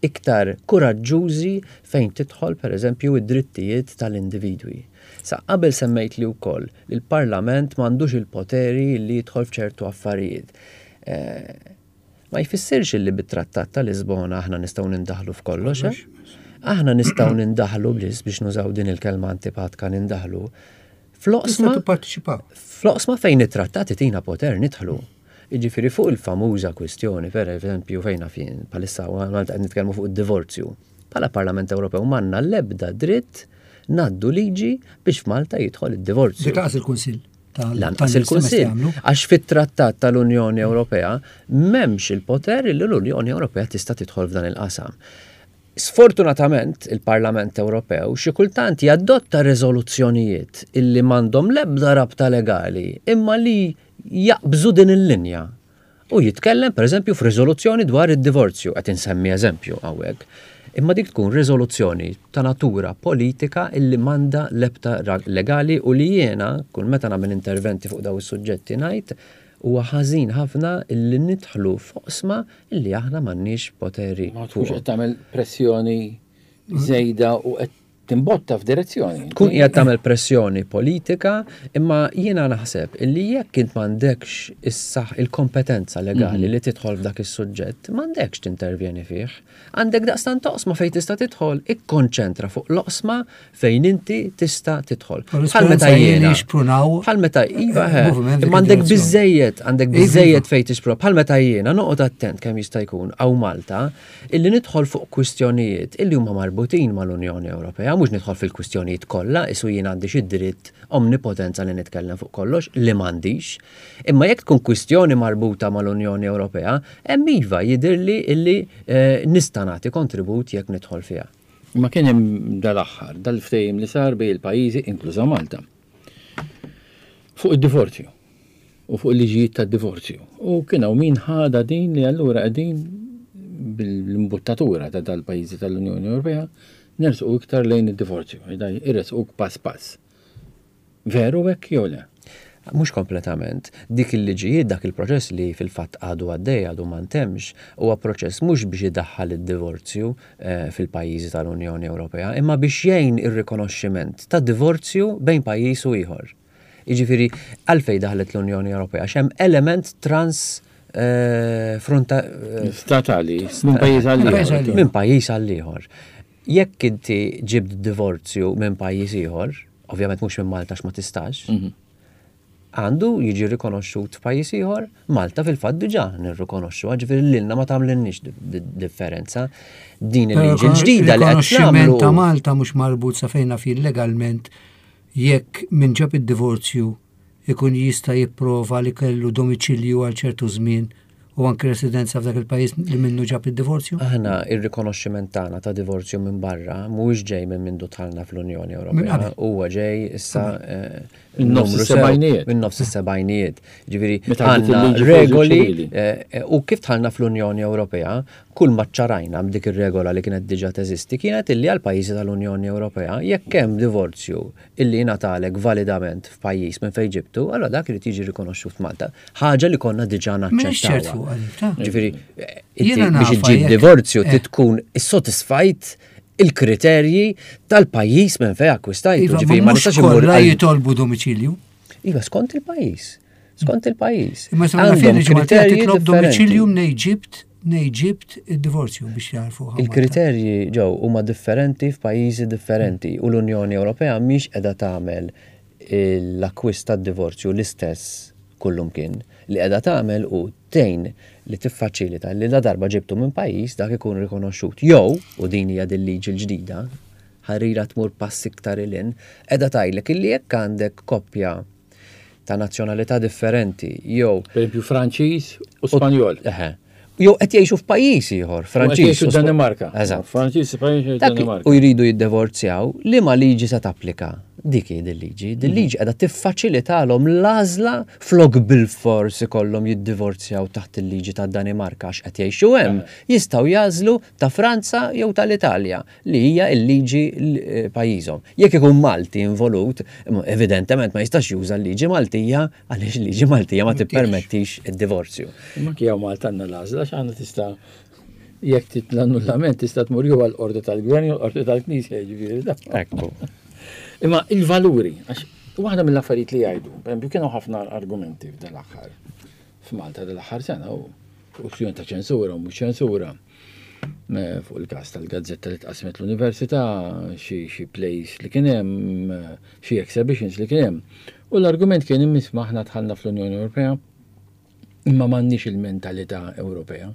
D: iktar kuraġġużi fejn tidħol pereżempju d-drittijiet tal-individwi. Sa qabel semmejtli wkoll li l-Parlament m'għandux il-poteri li jidħol f'ċertu affarijiet. Ma jfissirx li bit-Trattat ta' Lisbona aħna nistgħu nindaħlu f'kollox, eh? Aħna nistgħu nindaħlu biss biex nużaw din il-kelma antipatka nindaħlu fl-oqsma fl-oqsma fejn it-trattat itina poter nidħlu. Jiġifieri fuq il-famuża kwistjoni, per eżempju, fejn naf jien, bħalissa Malta qed nitkellmu fuq id-divorzju. Bħala Parlament Ewropew m'għandna l-ebda dritt ngħaddu liġi biex f'Malta jidħol id-divorzju.
C: Dik lanqas il-Kunsill.
D: Lanqas il-Kunsill. Għax fit-Trattat tal-Unjoni Ewropea m'hemmx il-poter li l-Unjoni Ewropea tista' tidħol f'dan il-qasam. Sfortunatament, il-Parlament Ewropew xi kultant jadotta riżoluzzjonijiet illi m'għandhom l-ebda rabta legali imma li jaqbżu din il-linja u jitkellem pereżempju f'riżoluzzjoni dwar id-divorzju, qed insemmi eżempju hawnhekk, imma dik tkun riżoluzzjoni ta' natura politika illi m'għandha l-ebda legali u li jiena kull meta nagħmel interventi fuq dawn is-suġġetti ngħid huwa ħażin ħafna illi nidħlu f'oqsma illi aħna m'għandniex poteri
B: Ma tkunx qed tagħmel pressjoni żejda u qed timbotta f'direzzjoni.
D: Tkun qiegħed tagħmel pressjoni politika, imma jiena naħseb illi jekk int m'għandekx is-saħ il-kompetenza legali mhm. li tidħol f'dak is-suġġett, m'għandekx tintervjeni fih. Għandek daqstant toqsma fejn tista' tidħol, ikkonċentra fuq l-oqsma fejn inti tista' tidħol.
C: Bħal meta jiena.
D: Bħal meta iva, eh, imma għandek biżejjed, għandek iva, biżejjed iva. fejn tixpruna. Bħal meta jiena noqgħod attent kemm jista' jkun hawn Malta Illi nidħol fuq kwistjonijiet illi huma marbutin mal-Unjoni Ewropea, mhux nidħol fil-kwistjonijiet kollha, qisu jien għandi xi dritt omnipotenza li nitkellem fuq kollox, li m'għandix. Imma jekk tkun kwistjoni marbuta mal-Unjoni Ewropea, hemm iva jidhirli illi nista' nagħti kontribut jekk nidħol fiha.
B: Imma kien hemm dal-aħħar, dal-ftehim li sar bejn il-pajjiżi, inkluża Malta, fuq id-divorzju. u fuq il-liġijiet tad-divorzju. U kien hawn min ħadha din li allura qegħdin bil-imbuttatura ta' dal-pajjiżi tal-Unjoni Ewropea nersqu iktar lejn id-divorzju, iressquk pass pass. Veru hekk jew le?
D: Mhux kompletament. Dik il-liġijiet, dak il-proċess li fil-fatt għadu għaddej, għadu ma ntemmx, huwa proċess mhux biex idaħħal id-divorzju fil-pajjiżi tal-Unjoni Ewropea, imma biex jgħin ir-rikonoxximent ta' divorzju bejn pajjiż u ieħor. Jiġifieri għalfejn daħlet l-Unjoni Ewropea għax hemm element trans eh,
B: fronta eh, statali minn pajjiż għal
D: ieħor. Minn pajjiż għal ieħor. Jekk inti ġibt divorzju minn pajjiż ieħor, ovvjament mhux minn Malta ma tistax, mhm. għandu jiġi rikonoxxut f'pajjiż ieħor, Malta fil-fatt diġà nirrikonoxxu, ġifieri lilna ma tagħmlilniex differenza. Din il-liġi l-ġdida li
C: qed nagħmlu. ta' Malta mhux marbut sa fejn naf legalment Jekk min ġab id-divorzju jkun jista' jipprova li kellu domiċilju għal ċertu żmien u anki residenza f'dak il-pajjiż li minnu ġab id-divorzju?
D: Aħna ir-rikonoxximent tagħna ta' divorzju minn barra mhuwiex ġej minn mindu dħalna fl-Unjoni Ewropea. Huwa ġej issa
B: minn nofs is-sebgħinijiet.
D: Minn nofs is-sebgħinijiet. Ġifieri għandna regoli u kif dħalna fl-Unjoni Ewropea, Kull ma ċċarajna b'dik ir-regola li kienet diġà teżisti kienet illi għall-pajjiżi tal-Unjoni Ewropea jekk hemm divorzju illi jingħatalek validament f'pajjiż minn fejn ġibtu, allura dak irid jiġi rikonoxxut f'Malta. Ħaġa li konna diġà naċċettawha. Ġifieri, inti biex iġġib divorzju trid tkun issodisfajt il-kriterji tal-pajjiż minn fejn akkwistajtu.
C: Iva, Ġifieri ma nistax immur. jitolbu domiċilju.
D: Iva, skont il-pajjiż. Skont il-pajjiż.
C: Imma sa naf kriterji titlob domiċilju mnej ġibt nej ġibt id-divorzju biex jarfu.
D: Il-kriterji ġew huma differenti f'pajjiżi differenti u l-Unjoni Ewropea mhix qiegħda tagħmel l-akkwist tad-divorzju l-istess kullumkien. Li qiegħda tagħmel hu tgħin li tiffaċilita li ladarba ġibtu minn pajjiż dak ikun rikonoxxut. Jew, u din hija dil-liġi l-ġdida, Ħarira tmur pass iktar 'il hinn, qiegħda tgħidlek illi jekk għandek koppja ta' nazzjonalità differenti jew.
B: Pereżempju Franċiż u Spanjol.
D: Eħe. Jew qed jgħixu f'pajjiż ieħor,
B: Franċiż. Jgħixu Danimarka.
D: Eżatt.
B: Franċiż Spanjol Danimarka.
D: U jridu jiddivorzjaw, liema liġi se tapplika? Dik hi dil-liġi. Dil-liġi qiegħda tiffaċilitalhom l-għażla flok bilfors ikollhom jiddivorzjaw taħt il-liġi tad-Danimarka għax qed jgħixu hemm, jistgħu jagħżlu ta' Franza jew tal-Italja, li hija l-liġi pajjiżhom. Jekk ikun Malti involut, evidentement ma jistax juża l-liġi Maltija għaliex il-liġi Maltija ma tippermettix id-divorzju.
B: Imma anki hawn Malta għandna l-għażla għax aħna tista' jekk trid l-annullament tista' tmur jew għall-qorti tal-gvern jew l-qorti tal-knisja jiġifieri da.
D: Ekku.
B: Imma il-valuri, għax waħda mill-affarijiet li jgħidu, pereżempju kienu ħafna argumenti f'dan l-aħħar f'Malta dal-aħħar sena u kwistjoni ta' ċensura u mhux ċensura eh, fuq il-każ tal-gazzetta li tqasmet l-università, xi plays li kien hemm, eh, xi exhibitions li kien hemm. U l-argument kien imma aħna dħalna fl-Unjoni Ewropea Imma m'għandniex il-mentalità Ewropea.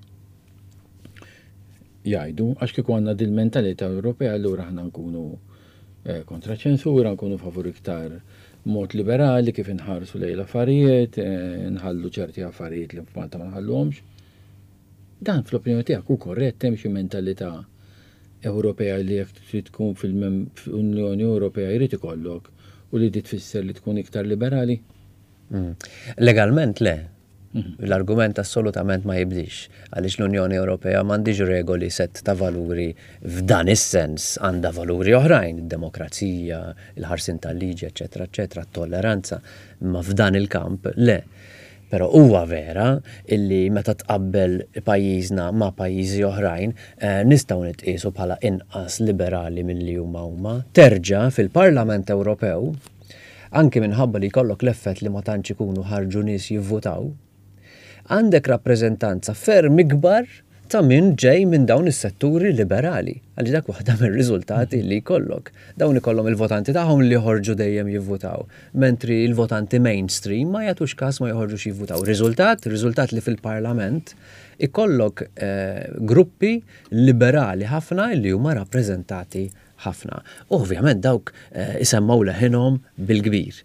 B: Jgħidu, għax kieku għandna dil-mentalità Ewropea allura aħna nkunu eh, kontra ċensura, nkunu favur iktar mod liberali kif inħarsu lejn l-affarijiet, eh, nħallu ċerti affarijiet li f'Malta ma nħalluhomx. Dan fl-opinjoni tiegħek hu korrett hemm xi mentalità Ewropea li jekk trid tkun fil-Unjoni Ewropea jrid ikollok u li di tfisser li tkun iktar liberali?
D: Mm. Legalment le. Mhm. L-argument assolutament ma jibdix, għaliex l-Unjoni Ewropea m'għandix regoli set ta' valuri f'dan is-sens, għandha valuri oħrajn, id-demokrazija, il-ħarsin tal-liġi, eċetera, eċetera, t-tolleranza, imma f'dan il-kamp le. Però huwa vera illi meta tqabbel pajjiżna ma' pajjiżi oħrajn, eh, nistgħu nitqiesu bħala inqas liberali milli huma huma. Terġa' fil-Parlament Ewropew anki minħabba li jkollok l-effett li ma tantx ikunu ħarġu nies jivvutaw, għandek rappreżentanza ferm ikbar ta' min ġej minn dawn is-setturi liberali, għaliex dak waħda mir-riżultati li jkollok. Dawn ikollhom il-votanti tagħhom li joħorġu dejjem jivvutaw, mentri l-votanti mainstream ma jagħtux każ ma joħorġux jivvutaw. Riżultat? Riżultat li fil-Parlament ikollok eh, gruppi liberali ħafna li huma rappreżentati ħafna. U ovvjament dawk eh, isemmgħu leħinhom bil-kbir.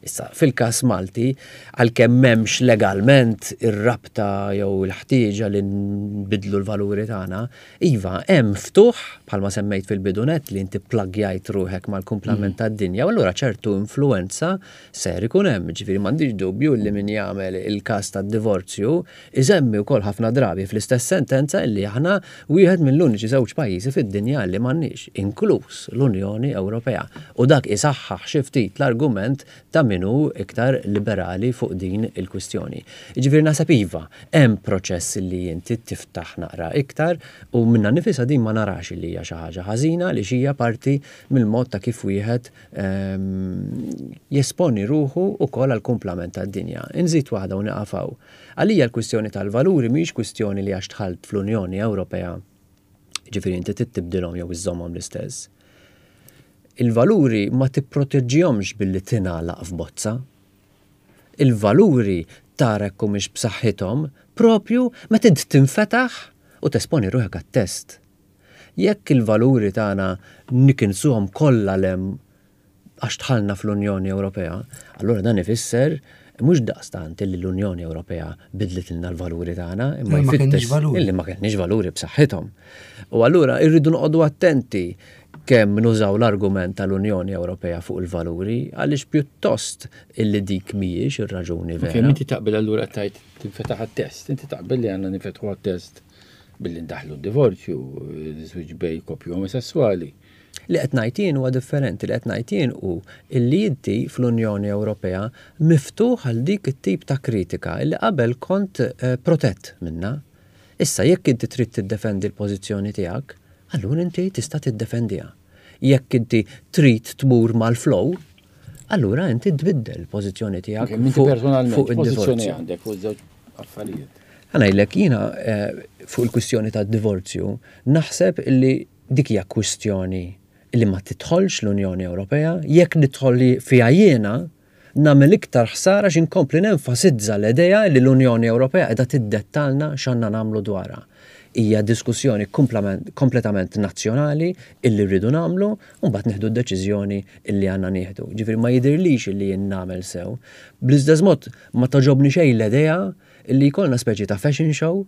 D: Issa, fil-każ Malti, għalkemm m'hemmx legalment ir-rabta jew il-ħtieġa li nbidlu l-valuri tagħna, iva, hemm ftuħ, bħalma semmejt fil-bidu nett li inti pplaggjajt ruħek mal-kumplament mm. tad-dinja, u allura ċertu influenza ser ikun hemm. Ġifieri m'għandix dubju li min jagħmel il-każ tad-divorzju Isemmi wkoll ħafna drabi fl-istess sentenza illi aħna wieħed mill-uniċi żewġ pajjiżi fid-dinja li m'għandniex, inkluż l-Unjoni Ewropea. U dak isaħħaħ xi ftit l-argument ta' min hu iktar liberali fuq din il-kwistjoni. Jiġifieri naħseb iva, hemm proċess illi inti tiftaħ naqra iktar u minnha nnifisha din ma narax illi hija xi ħaġa ħażina għaliex hija parti mill-mod ta' kif wieħed jesponi ruħu wkoll għall-kumplament tad-dinja. Inżid waħda u nieqaf hawn. Għalija l-kwistjoni tal-valuri mhijiex kwistjoni li għax dħalt fl-Unjoni Ewropea, jiġifieri inti trid tibdilhom jew iżżommhom l-istess. Il-valuri ma tipproteġġihomx billi tingħalaq f'bozza. Il-valuri tara jekk humiex b'saħħithom propju meta int tinfetaħ u tesponi ruħek għat-test. Jekk il-valuri tagħna nikinsuhom kollha 'l hemm għax dħalna fl-Unjoni Ewropea, allura dan ifisser mhux daqstant illi l-Unjoni Ewropea bidlitilna l-valuri tagħna, imma jfittex illi ma kellniex valuri b'saħħithom. U allura rridu noqogħdu attenti kemm nużaw l-argument tal-Unjoni Ewropea fuq il-valuri għaliex pjuttost illi dik mhijiex ir-raġuni vera.
B: Kemm inti taqbel allura tajt tinfetaħ għat-test, inti taqbel li għandna nifetħu għat-test billi ndaħlu d-divorzju, żwieġ bej koppji omosessuali.
D: Li qed ngħid jien huwa differenti, li qed ngħid jien hu illi inti fl-Unjoni Ewropea miftuħ għal dik it-tip ta' kritika illi qabel kont eh, protett minnha. Issa jekk inti trid tiddefendi l-pożizzjoni tiegħek, allura inti tista' tiddefendiha. Jekk inti trid tmur mal-flow, allura inti tbiddel il-pożizzjoni tiegħek
B: fuq id-divorzju. għandek fuq żewġ affarijiet.
D: Ħa ngħidlek jiena eh, fuq il-kwistjoni tad-divorzju naħseb illi dik hija kwistjoni illi ma tidħolx l-Unjoni Ewropea, jekk nidħol fiha jiena nagħmel iktar ħsara għax inkompli nenfasizza l-idea li l-Unjoni Ewropea qiegħda tiddettalna x'għandna nagħmlu dwarha. Hija diskussjoni kompletament nazzjonali illi rridu nagħmlu u mbagħad nieħdu d-deċiżjoni illi għandna nieħdu. Ġifieri ma jidhirlix illi jien nagħmel sew. Bl-istess mod ma togħġobni xejn l-idea illi jkollna speċi ta' fashion show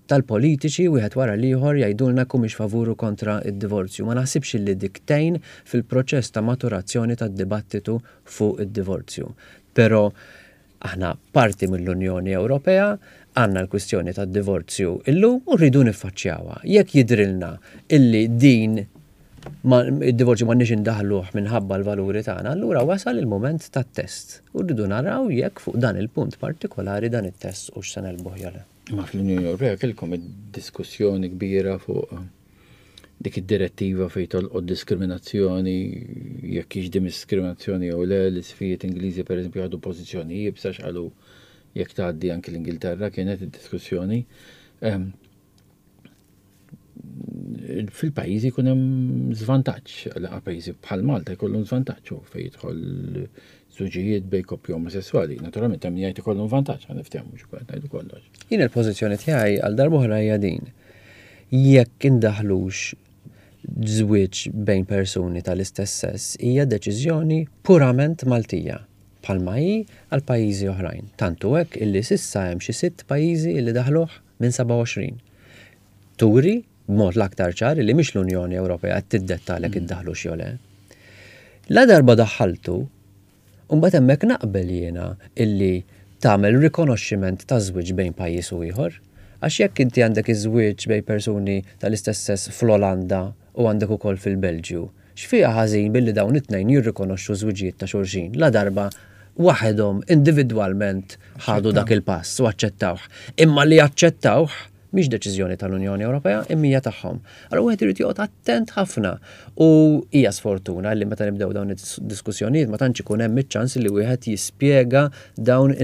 D: tal-politiċi wieħed wara l-ieħor jgħidulna jekk humiex favur u kontra d-divorzju. Ma naħsibx illi dik tgħin fil-proċess ta' maturazzjoni tad-dibattitu fuq id-divorzju. Però aħna parti mill-Unjoni Ewropea, għandna l-kwistjoni tad-divorzju illum u rridu niffaċċjawha. Jekk jidhrilna illi din id-divorzju m'għandniex indaħħluh minħabba l-valuri tagħna, allura wasal il-mument tat-test u rridu naraw jekk fuq dan il-punt partikolari dan it-test hux se negħlbuh jew le.
B: Imma fl-Unjoni Ewropea kellkom id-diskussjoni kbira fuq dik id-direttiva fejn tolqot diskriminazzjoni, jekk hix diskriminazzjoni jew le, l-isfijiet Ingliżi pereżempju ħadu pożizzjoni iebsa x'qalu jekk tgħaddi anki l-Ingilterra kienet id-diskussjoni. Ehm, fil-pajjiżi jkun hemm żvantaġġ, għal pajjiżi bħal Malta jkollhom żvantaġġ u fejn jidħol żuġijiet bejn koppji omosessuali. Naturalment hemm jgħid ikollhom vantaġġ ħa niftehmu mhux qed ngħidu kollox.
D: Jien il-pożizzjoni tiegħi għal darb'oħra hija din. Jekk indaħlux żwieġ bejn persuni tal-istess sess hija deċiżjoni purament Maltija, bħalma hi għal pajjiżi oħrajn. Tant hu hekk illi s'issa hemm xi sitt pajjiżi illi daħluh minn 27. Turi b'mod l-aktar ċar illi mhix l-Unjoni Ewropea qed tiddettalek iddaħħlux jew le. Ladarba daħħaltu, imbagħad hemmhekk naqbel jiena illi tagħmel rikonoxximent ta' żwieġ bejn pajjiż u ieħor. Għax jekk inti għandek iż-żwieġ bejn persuni tal-istess sess fl-Olanda u għandek ukoll fil-Belġju, X'fiha ħażin billi dawn it-tnejn jirrikonoxxu ż-żwiġijiet ta' xulxin, ladarba waħedhom individwalment ħadu dak il-pass u aċċettawh? Imma li jaċċettawh mhix deċiżjoni tal-Unjoni Ewropea imma hija tagħhom. Allura wieħed irid joqgħod attent ħafna u hija sfortuna li meta nibdew dawn id-diskussjonijiet ma tantx ikun hemm iċ-ċans li wieħed jispjega dawn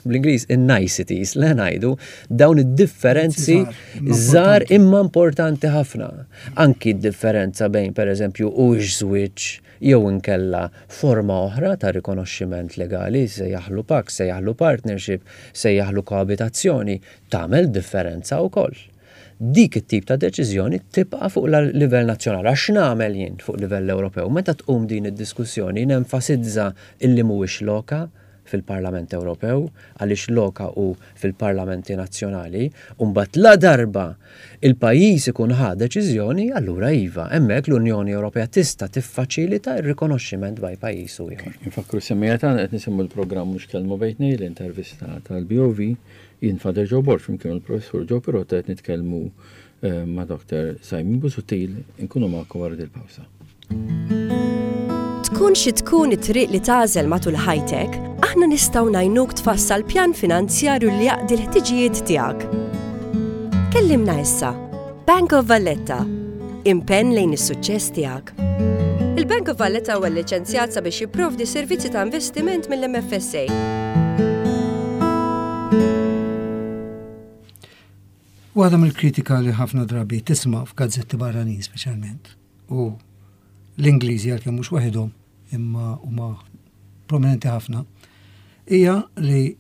D: bl-Ingliż in-niceties, le ngħidu, dawn id-differenzi żgħar imma importanti ħafna. Anki d-differenza bejn, pereżempju, huwiex żwieġ jew inkella forma oħra ta' rikonoxximent legali, sejjaħlu pact, sejjaħlu partnership, sejjaħlu koabitazzjoni, tagħmel differenza wkoll. Dik it-tip ta' deċiżjoni tibqa' fuq livell nazzjonali. Għax x'nagħmel jien fuq livell Ewropew? Meta tqum din id-diskussjoni nenfasizza illi mhuwiex loka, fil-Parlament Ewropew, għaliex loka hu fil-parlamenti nazzjonali, u mbagħad ladarba il-pajjiż ikun ħa deċiżjoni, allura iva, hemmhekk l-Unjoni Ewropea tista' tiffaċilita r-rikonoxximent bejn pajjiż u ieħor.
B: Infakkru s-semmiegħa tagħna qed nisimgħu l-programm Mhux Kelma Bejn Tnejn, l-intervista tal-BOV, jien Father Joe Borg flimkien mal-Professur Joe Pirotta qed nitkellmu ma' Dr. Simon Busuttil, inkunu magħkom wara dil-pawsa.
A: Tkun xi tkun it-triq li tagħżel matul ħajtek, aħna nistgħu ngħinuk tfassal pjan finanzjarju li jaqdi l-ħtiġijiet tiegħek. Kellimna issa. Bank of Valletta. Impenn lejn is-suċċess tiegħek. Il-Bank of Valletta huwa lliċenzjat sabiex jipprovdi servizzi ta' investiment mill-MFSA.
C: Waħda mill-kritika li ħafna drabi tisma' f'gazzetti barranin speċjalment u l-Ingliżi għalkemm mhux waħedhom imma huma prominenti ħafna hija li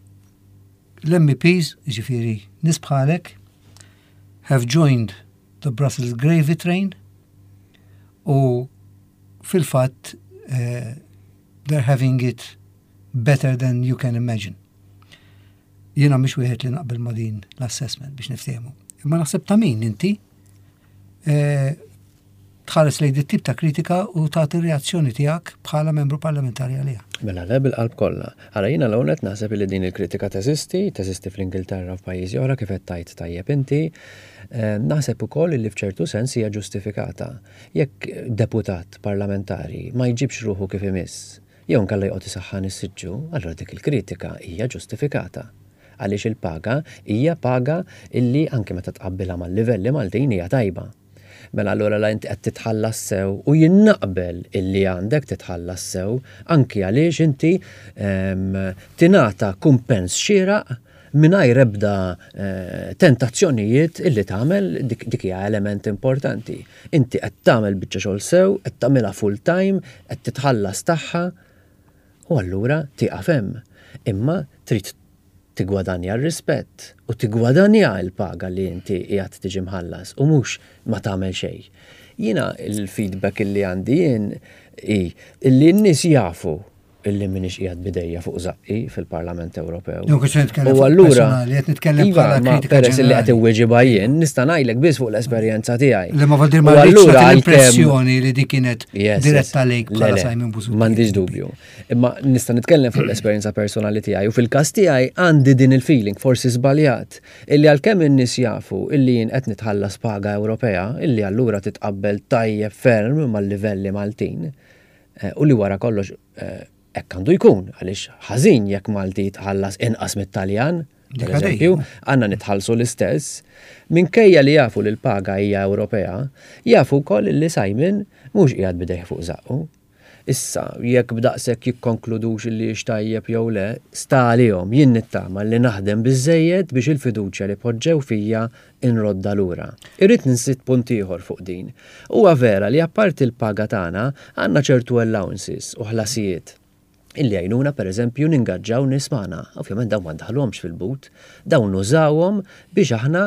C: l-MEPs, ġifieri nies bħalek, have joined the Brussels gravy train u fil-fatt uh, they're having it better than you can imagine. Jiena mhix wieħed li naqbel ma' din l-assessment biex niftehmu. Imma naħseb ta' min inti eh, tħares lejn dit tip ta' kritika u tagħti reazzjoni tiegħek bħala membru parlamentari għaliha.
D: Mela le bil-qalb kollha. Ara jiena l qed naħseb li din il-kritika teżisti, teżisti fl-Ingilterra f'pajjiżi oħra kif qed tgħid tajjeb inti. Eh, naħseb ukoll li f'ċertu sens hija ġustifikata. Jekk deputat parlamentari ma jġibx ruħu kif imiss, jew inkella joqgħod isaħħan is-siġġu, allura dik il-kritika hija ġustifikata. Għaliex il-paga hija paga illi anke meta tqabbilha mal-livelli Maltin hija tajba. Mela allura la inti qed titħallas sew u jien naqbel illi għandek titħallas sew anki għaliex inti ehm, tingħata kumpens xieraq mingħajr ebda eh, tentazzjonijiet illi tagħmel dik dik hija element importanti. Inti qed tagħmel biċċa xogħol sew, qed tagħmilha full time, qed titħallas tagħha u allura tieqaf hemm. Imma trid Tiggwadanja r-rispett u tiggwadanja l-paga li inti qiegħed tiġi mħallas u mhux ma tagħmel xejn. Jiena l-feedback illi għandi jien hi illi n-nies jafu illi m'iniex qiegħed b'idejja fuq żaqqi fil-Parlament Ewropew.
C: Jew kif nitkellem fuq personali, qed nitkellem
D: iva,
C: bħala kritika
D: Peress li qed inweġibha jien, nista' ngħidlek biss fuq l-esperjenza tiegħi.
C: Li ma vodir ma allura l-impressjoni li dik kienet diretta lejk bħala Simon Busuttil.
D: M'għandix dubju. Imma nista' nitkellem fuq l-esperjenza personali tiegħi u fil-każ tiegħi għandi din il-feeling, forsi żbaljat, illi għalkemm in-nies jafu illi jien qed nitħallas paga Ewropea, illi allura titqabbel tajjeb ferm mal-livelli Maltin, u li wara kollox hekk għandu jkun, għaliex ħażin jekk Malti jitħallas inqas mit-Taljan, per eżempju, għandna nitħallsu l-istess, minkejja li jafu li l-paga hija Ewropea, jafu wkoll li Simon mhux qiegħed b'idejh fuq żaqqu. Issa, jekk b'daqshekk jikkonkludux illi hix tajjeb jew le, sta għalihom. Jien nittama li naħdem biżżejjed biex il-fiduċja li poġġew fija nroddha lura. Irrid nżid punt ieħor fuq din. Huwa vera li apparti l-paga tagħna, għandna ċertu allowances u ħlasijiet illi jgħinuna pereżempju ningaġġaw nies magħna. Ovvjament dawn ma ndaħħluhomx fil-but, dawn nużawhom biex aħna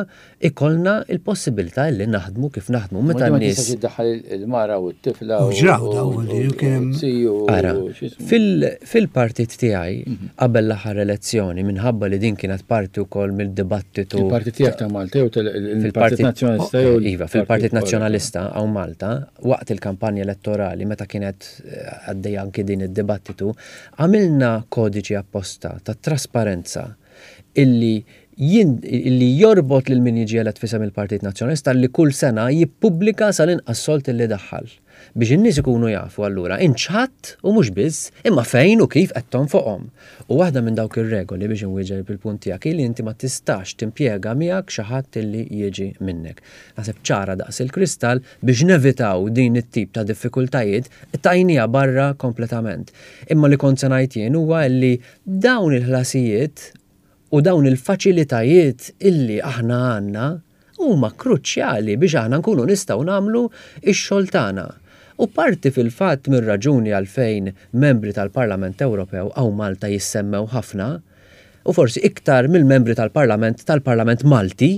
D: ikollna l-possibilità li naħdmu kif naħdmu.
B: Meta n-nies. Ma tistax iddaħħal il-mara u t-tifla
C: u. Ġraw daw li kien hemm.
D: Ara, fil-partit tiegħi qabel l-aħħar elezzjoni minħabba li din kienet parti wkoll mid-dibattitu.
B: Il-partit tiegħek ta' Malta jew il-Partit Nazzjonalista
D: jew. Iva, fil-Partit Nazzjonalista hawn Malta, waqt il-kampanja elettorali meta kienet għaddejja anki din id-dibattitu, għamilna kodiċi apposta ta' trasparenza illi jien illi jorbot lil min jiġi elett f'isem il-Partit Nazzjonalista li kull sena jippubblika sal-inqas sold illi daħħal. Biex in-nies ikunu jafu allura int x'ħadt u mhux biss, imma fejn u kif qed tonfoqhom. U waħda minn dawk ir-regoli biex inwieġeb il-punt tiegħek hi li inti ma tistax timpjega miegħek xi ħadd illi jiġi minnek. Naħseb ċara daqs il-kristall biex nevitaw din it-tip ta' diffikultajiet qtajniha barra kompletament. Imma li kont se ngħid jien huwa illi dawn il-ħlasijiet u dawn il-faċilitajiet illi aħna għandna huma kruċjali biex aħna nkunu nistgħu nagħmlu x-xogħol tagħna. U parti fil-fatt mir-raġuni għalfejn membri tal-Parlament Ewropew hawn Malta jissemmew ħafna, u forsi iktar mill-membri tal-Parlament tal-Parlament Malti,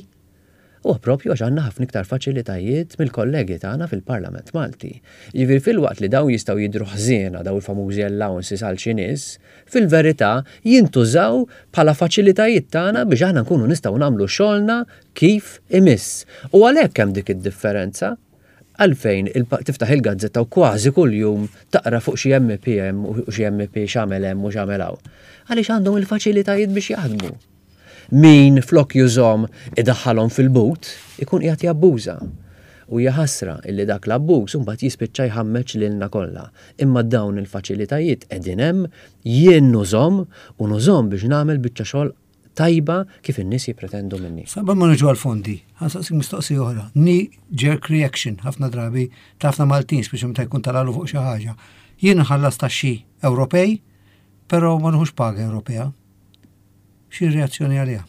D: Huwa proprju għax għandna ħafna iktar faċilitajiet mill-kollegi tagħna fil-Parlament Malti. Jiġifieri filwaqt li dawn jistgħu jidhru ħżiena dawn il-famużi allowances għal xi nies, fil-verità jintużaw bħala faċilitajiet tagħna biex aħna nkunu nistgħu nagħmlu xogħolna kif imiss. U għalhekk hemm dik id-differenza. Għalfejn tiftaħ il-gazzetta u kważi kuljum taqra fuq xi MEP hemm u xi MEP x'għamel hemm u x'għamel hawn? Għaliex għandhom il-faċilitajiet biex jaħdmu. Min flok jużhom idaħħalhom fil-but, ikun qiegħed jabbuża. U hija ħasra illi dak l-abbuż imbagħad jispiċċa jħammeġ lilna kollha. Imma dawn il-faċilitajiet qegħdin hemm, jien nużhom u nużhom biex nagħmel biċċa xogħol tajba kif in-nies jippretendu minni.
C: Sa qabel ma niġu għall-fondi, ħa nsaqsik mistoqsija oħra. Knee jerk reaction ħafna drabi ta' ħafna Maltin, speċi meta jkun talalu fuq xi ħaġa. Jien nħallas taxxi Ewropej, però ma nieħux paga Ewropea. Xi reazzjoni għaliha?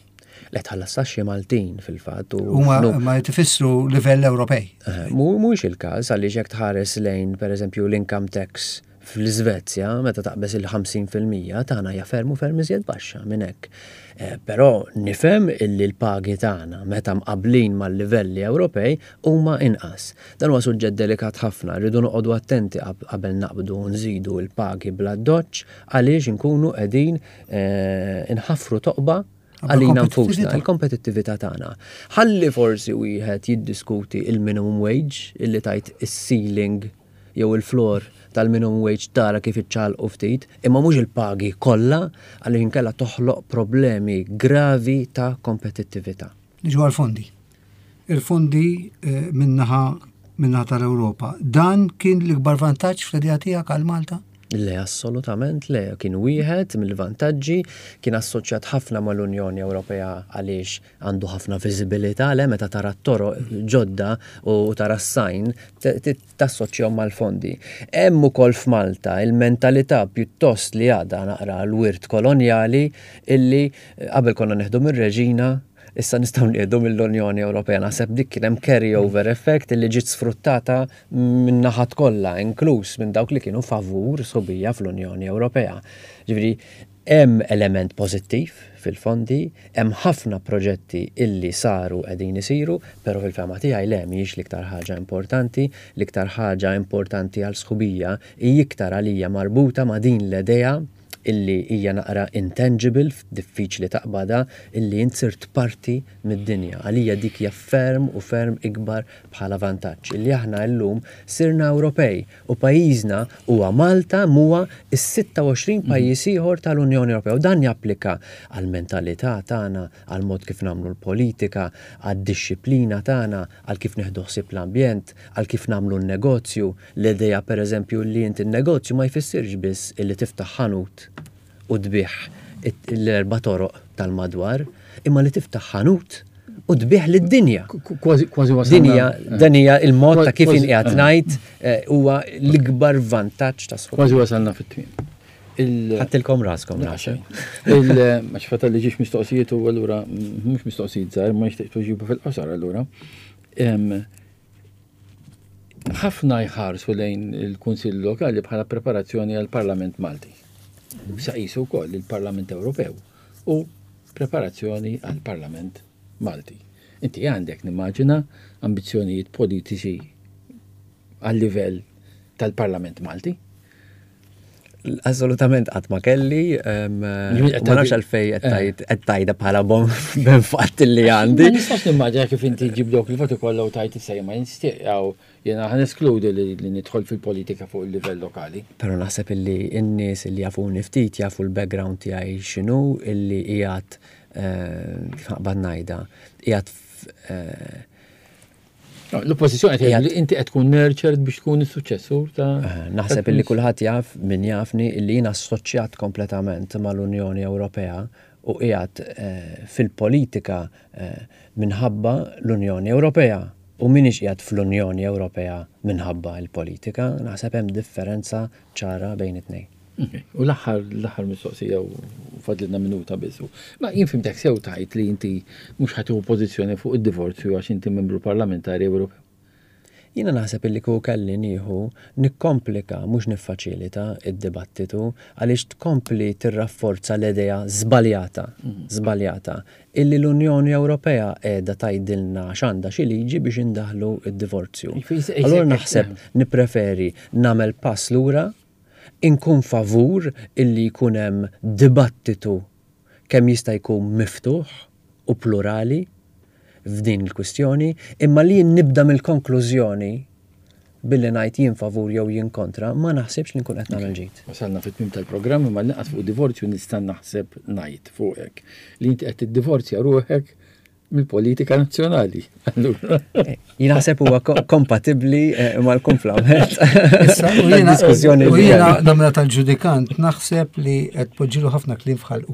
D: Le tħallas taxxi Maltin fil-fatt.
C: Huma ma jtifissru livell Ewropej.
D: Eh, mhuwiex il-każ għaliex jekk tħares lejn pereżempju l-income tax fl-Iżvezja meta taqbeż il-50% tagħna hija ferm u ferm iżjed baxxa minn hekk. Eh, però nifhem illi l-pagi tagħna meta mqablin mal-livelli Ewropej huma inqas. Dan huwa suġġett delikat ħafna, rridu noqogħdu attenti qabel naqbdu nżidu l-pagi bla doċċ għaliex inkunu qegħdin inħaffru toqba għalina nfusna, il-kompetittività tagħna. Ħalli forsi wieħed jiddiskuti il-minimum wage illi tajt is-ceiling jew il-floor tal-minimum wage tara kif iċċalqu ftit, imma mhux il-pagi kollha għaliex inkella toħloq problemi gravi ta' kompetittività.
C: Niġu għall-fondi. Il-fondi eh, min-naħa min-naħa tal-Ewropa. Dan kien l-ikbar vantaġġ fl-idea tiegħek għal Malta?
D: Le, assolutament le. Kien wieħed mill-vantaġġi, kien assoċjat ħafna mal-Unjoni Ewropea għaliex għandu ħafna viżibilità, le meta tara t-toroq ġodda u tara s-sajn tassoċjahom mal-fondi. Hemm ukoll f'Malta il-mentalità pjuttost li għadha naqra l-wirt kolonjali illi qabel konna neħdu mir-reġina issa nistgħu nieħdu mill-Unjoni Ewropea. Naħseb dik kien hemm carry over effect illi ġiet sfruttata min-naħat kollha, inkluż minn dawk li kienu favur sħubija fl-Unjoni Ewropea. Ġifieri hemm element pożittiv fil-fondi, hemm ħafna proġetti illi saru qegħdin isiru, però fil-fehma tiegħi le mhijiex l-iktar ħaġa importanti, l-iktar ħaġa importanti għal sħubija hi iktar għalija marbuta ma' din l-idea illi hija naqra intangible, diffiċli taqbadha, illi int sirt parti mid-dinja. Għalija dik hija ferm u ferm ikbar bħala vantaġġ. Illi aħna illum sirna Ewropej u pajjiżna huwa Malta m'huwa s-26 pajjiż ieħor tal-Unjoni Ewropea. U dan japplika għall-mentalità tagħna, għall-mod kif nagħmlu l-politika, għad-dixxiplina tagħna, għal kif nieħdu ħsieb l-ambjent, għal kif nagħmlu n-negozju. L-idea pereżempju li inti n-negozju ma jfissirx biss illi tiftaħ ħanut u tbigħ l-erba' toroq tal-madwar, imma li tiftaħ ħanut u tbigħ lid-dinja.
B: Kważi kważi wasalna.
D: Din hija dan hija l-mod ta' kif inqiegħed ngħid eh, huwa l-ikbar vantaġġ ta' sħub.
B: Kważi wasalna fit-tmiem.
D: Ħadtilkom raskom naħseb.
B: Il-għax fatal li ġiex mistoqsijiet u allura mhux mistoqsijiet żgħar ma nixtieq tweġiba fil-qosor allura. Ħafna jħarsu lejn il-Kunsill Lokali bħala preparazzjoni għall-Parlament Malti. Sa qisu wkoll il-Parlament Ewropew u preparazzjoni għall-Parlament Malti. Inti għandek nimmaġina ambizzjonijiet politiċi għal-livell tal-Parlament Malti?
D: Assolutament qatt ma kelli, ma nafx għalfej qed eh. tgħidha bħala bom ben fatt li għandi.
B: Ma nistax nimmaġina kif inti ġib dawk il-voti kollha u tajt issa ma nistieqgħu jiena ħa neskludi li nidħol fil-politika fuq il-livell lokali.
D: Però naħseb illi n-nies illi jafuni ftit jafu l-background tiegħi x'inhu illi qiegħed eh, kif naqbad ngħidha, qiegħed eh,
B: L-oppożizzjoni qed li inti qed tkun nurtured biex tkun is-suċċessur ta'
D: eh, Naħseb illi kulħadd jaf min jafni illi jien assoċjat kompletament mal-Unjoni Ewropea u qiegħed eh, fil-politika eh, minħabba l-Unjoni Ewropea u minix qiegħed fl-Unjoni Ewropea minħabba l-politika, naħseb hemm differenza ċara bejn it-tnejn.
B: U l-aħħar l-aħħar mistoqsija u fadlilna minuta biss. Ma jien fimtek sew tajt li inti mhux ħa tieħu pożizzjoni fuq id-divorzju għax inti membru parlamentari Ewropew.
D: Jiena naħseb illi kieku kelli nieħu nikkomplika mhux niffaċilita d-dibattitu għaliex tkompli tirrafforza l-idea żbaljata, żbaljata, illi l-Unjoni Ewropea qiegħda tgħidilna x'għandha xi liġi biex indaħħlu d-divorzju. Allura naħseb nippreferi nagħmel pass lura Inkun favur illi jkun hemm dibattitu kemm jista' jkun miftuħ u plurali f'din il-kwistjoni, imma li jien nibda mill-konklużjoni billi ngħid jien favur jew jien kontra, ma naħsibx li nkun qed nagħmel ġid.
B: Wasalna fit-tmiem tal-programm imma l-inqas fuq divorzju nista' naħseb ngħid fuqek li inti qed tiddivorzja ruħek mill-politika nazzjonali. Allura.
D: Eh, jien naħseb huwa kompatibbli eh, mal-kumplament.
C: Diskussjoni. U jiena namra tal-ġudikant naħseb li qed poġġilu ħafna kliem f'ħalqu.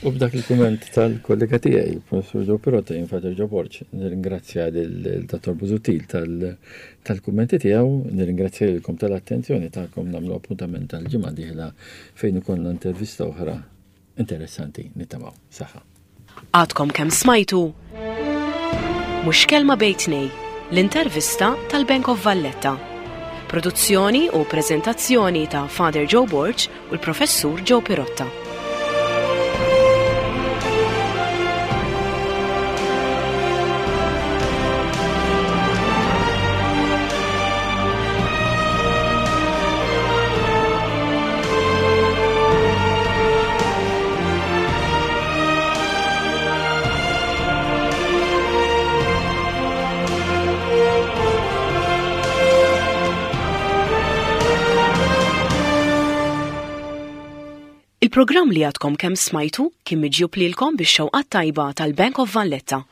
B: U b'dak il-kumment tal-kollega tiegħi, il-Professur Joe Pirotta, jien Father Joe Borg, nirringrazzja lil Dottor Busuttil tal-kummenti tiegħu, nirringrazzja lilkom tal-attenzjoni tagħkom nagħmlu appuntament tal-ġimgħa dieħla fejn ikollna intervista oħra Interessanti, nittamaw. Saħħa.
A: Għadkom kemm smajtu Mhux Kelma Bejn Tnej, l-intervista tal-Bank of Valletta. Produzzjoni u preżentazzjoni ta' Father Joe Borg u l-Professur Joe Pirotta. Il-programm li għadkom kemm smajtu kien miġjub lilkom bix-xewqat tajba tal-Bank of Valletta.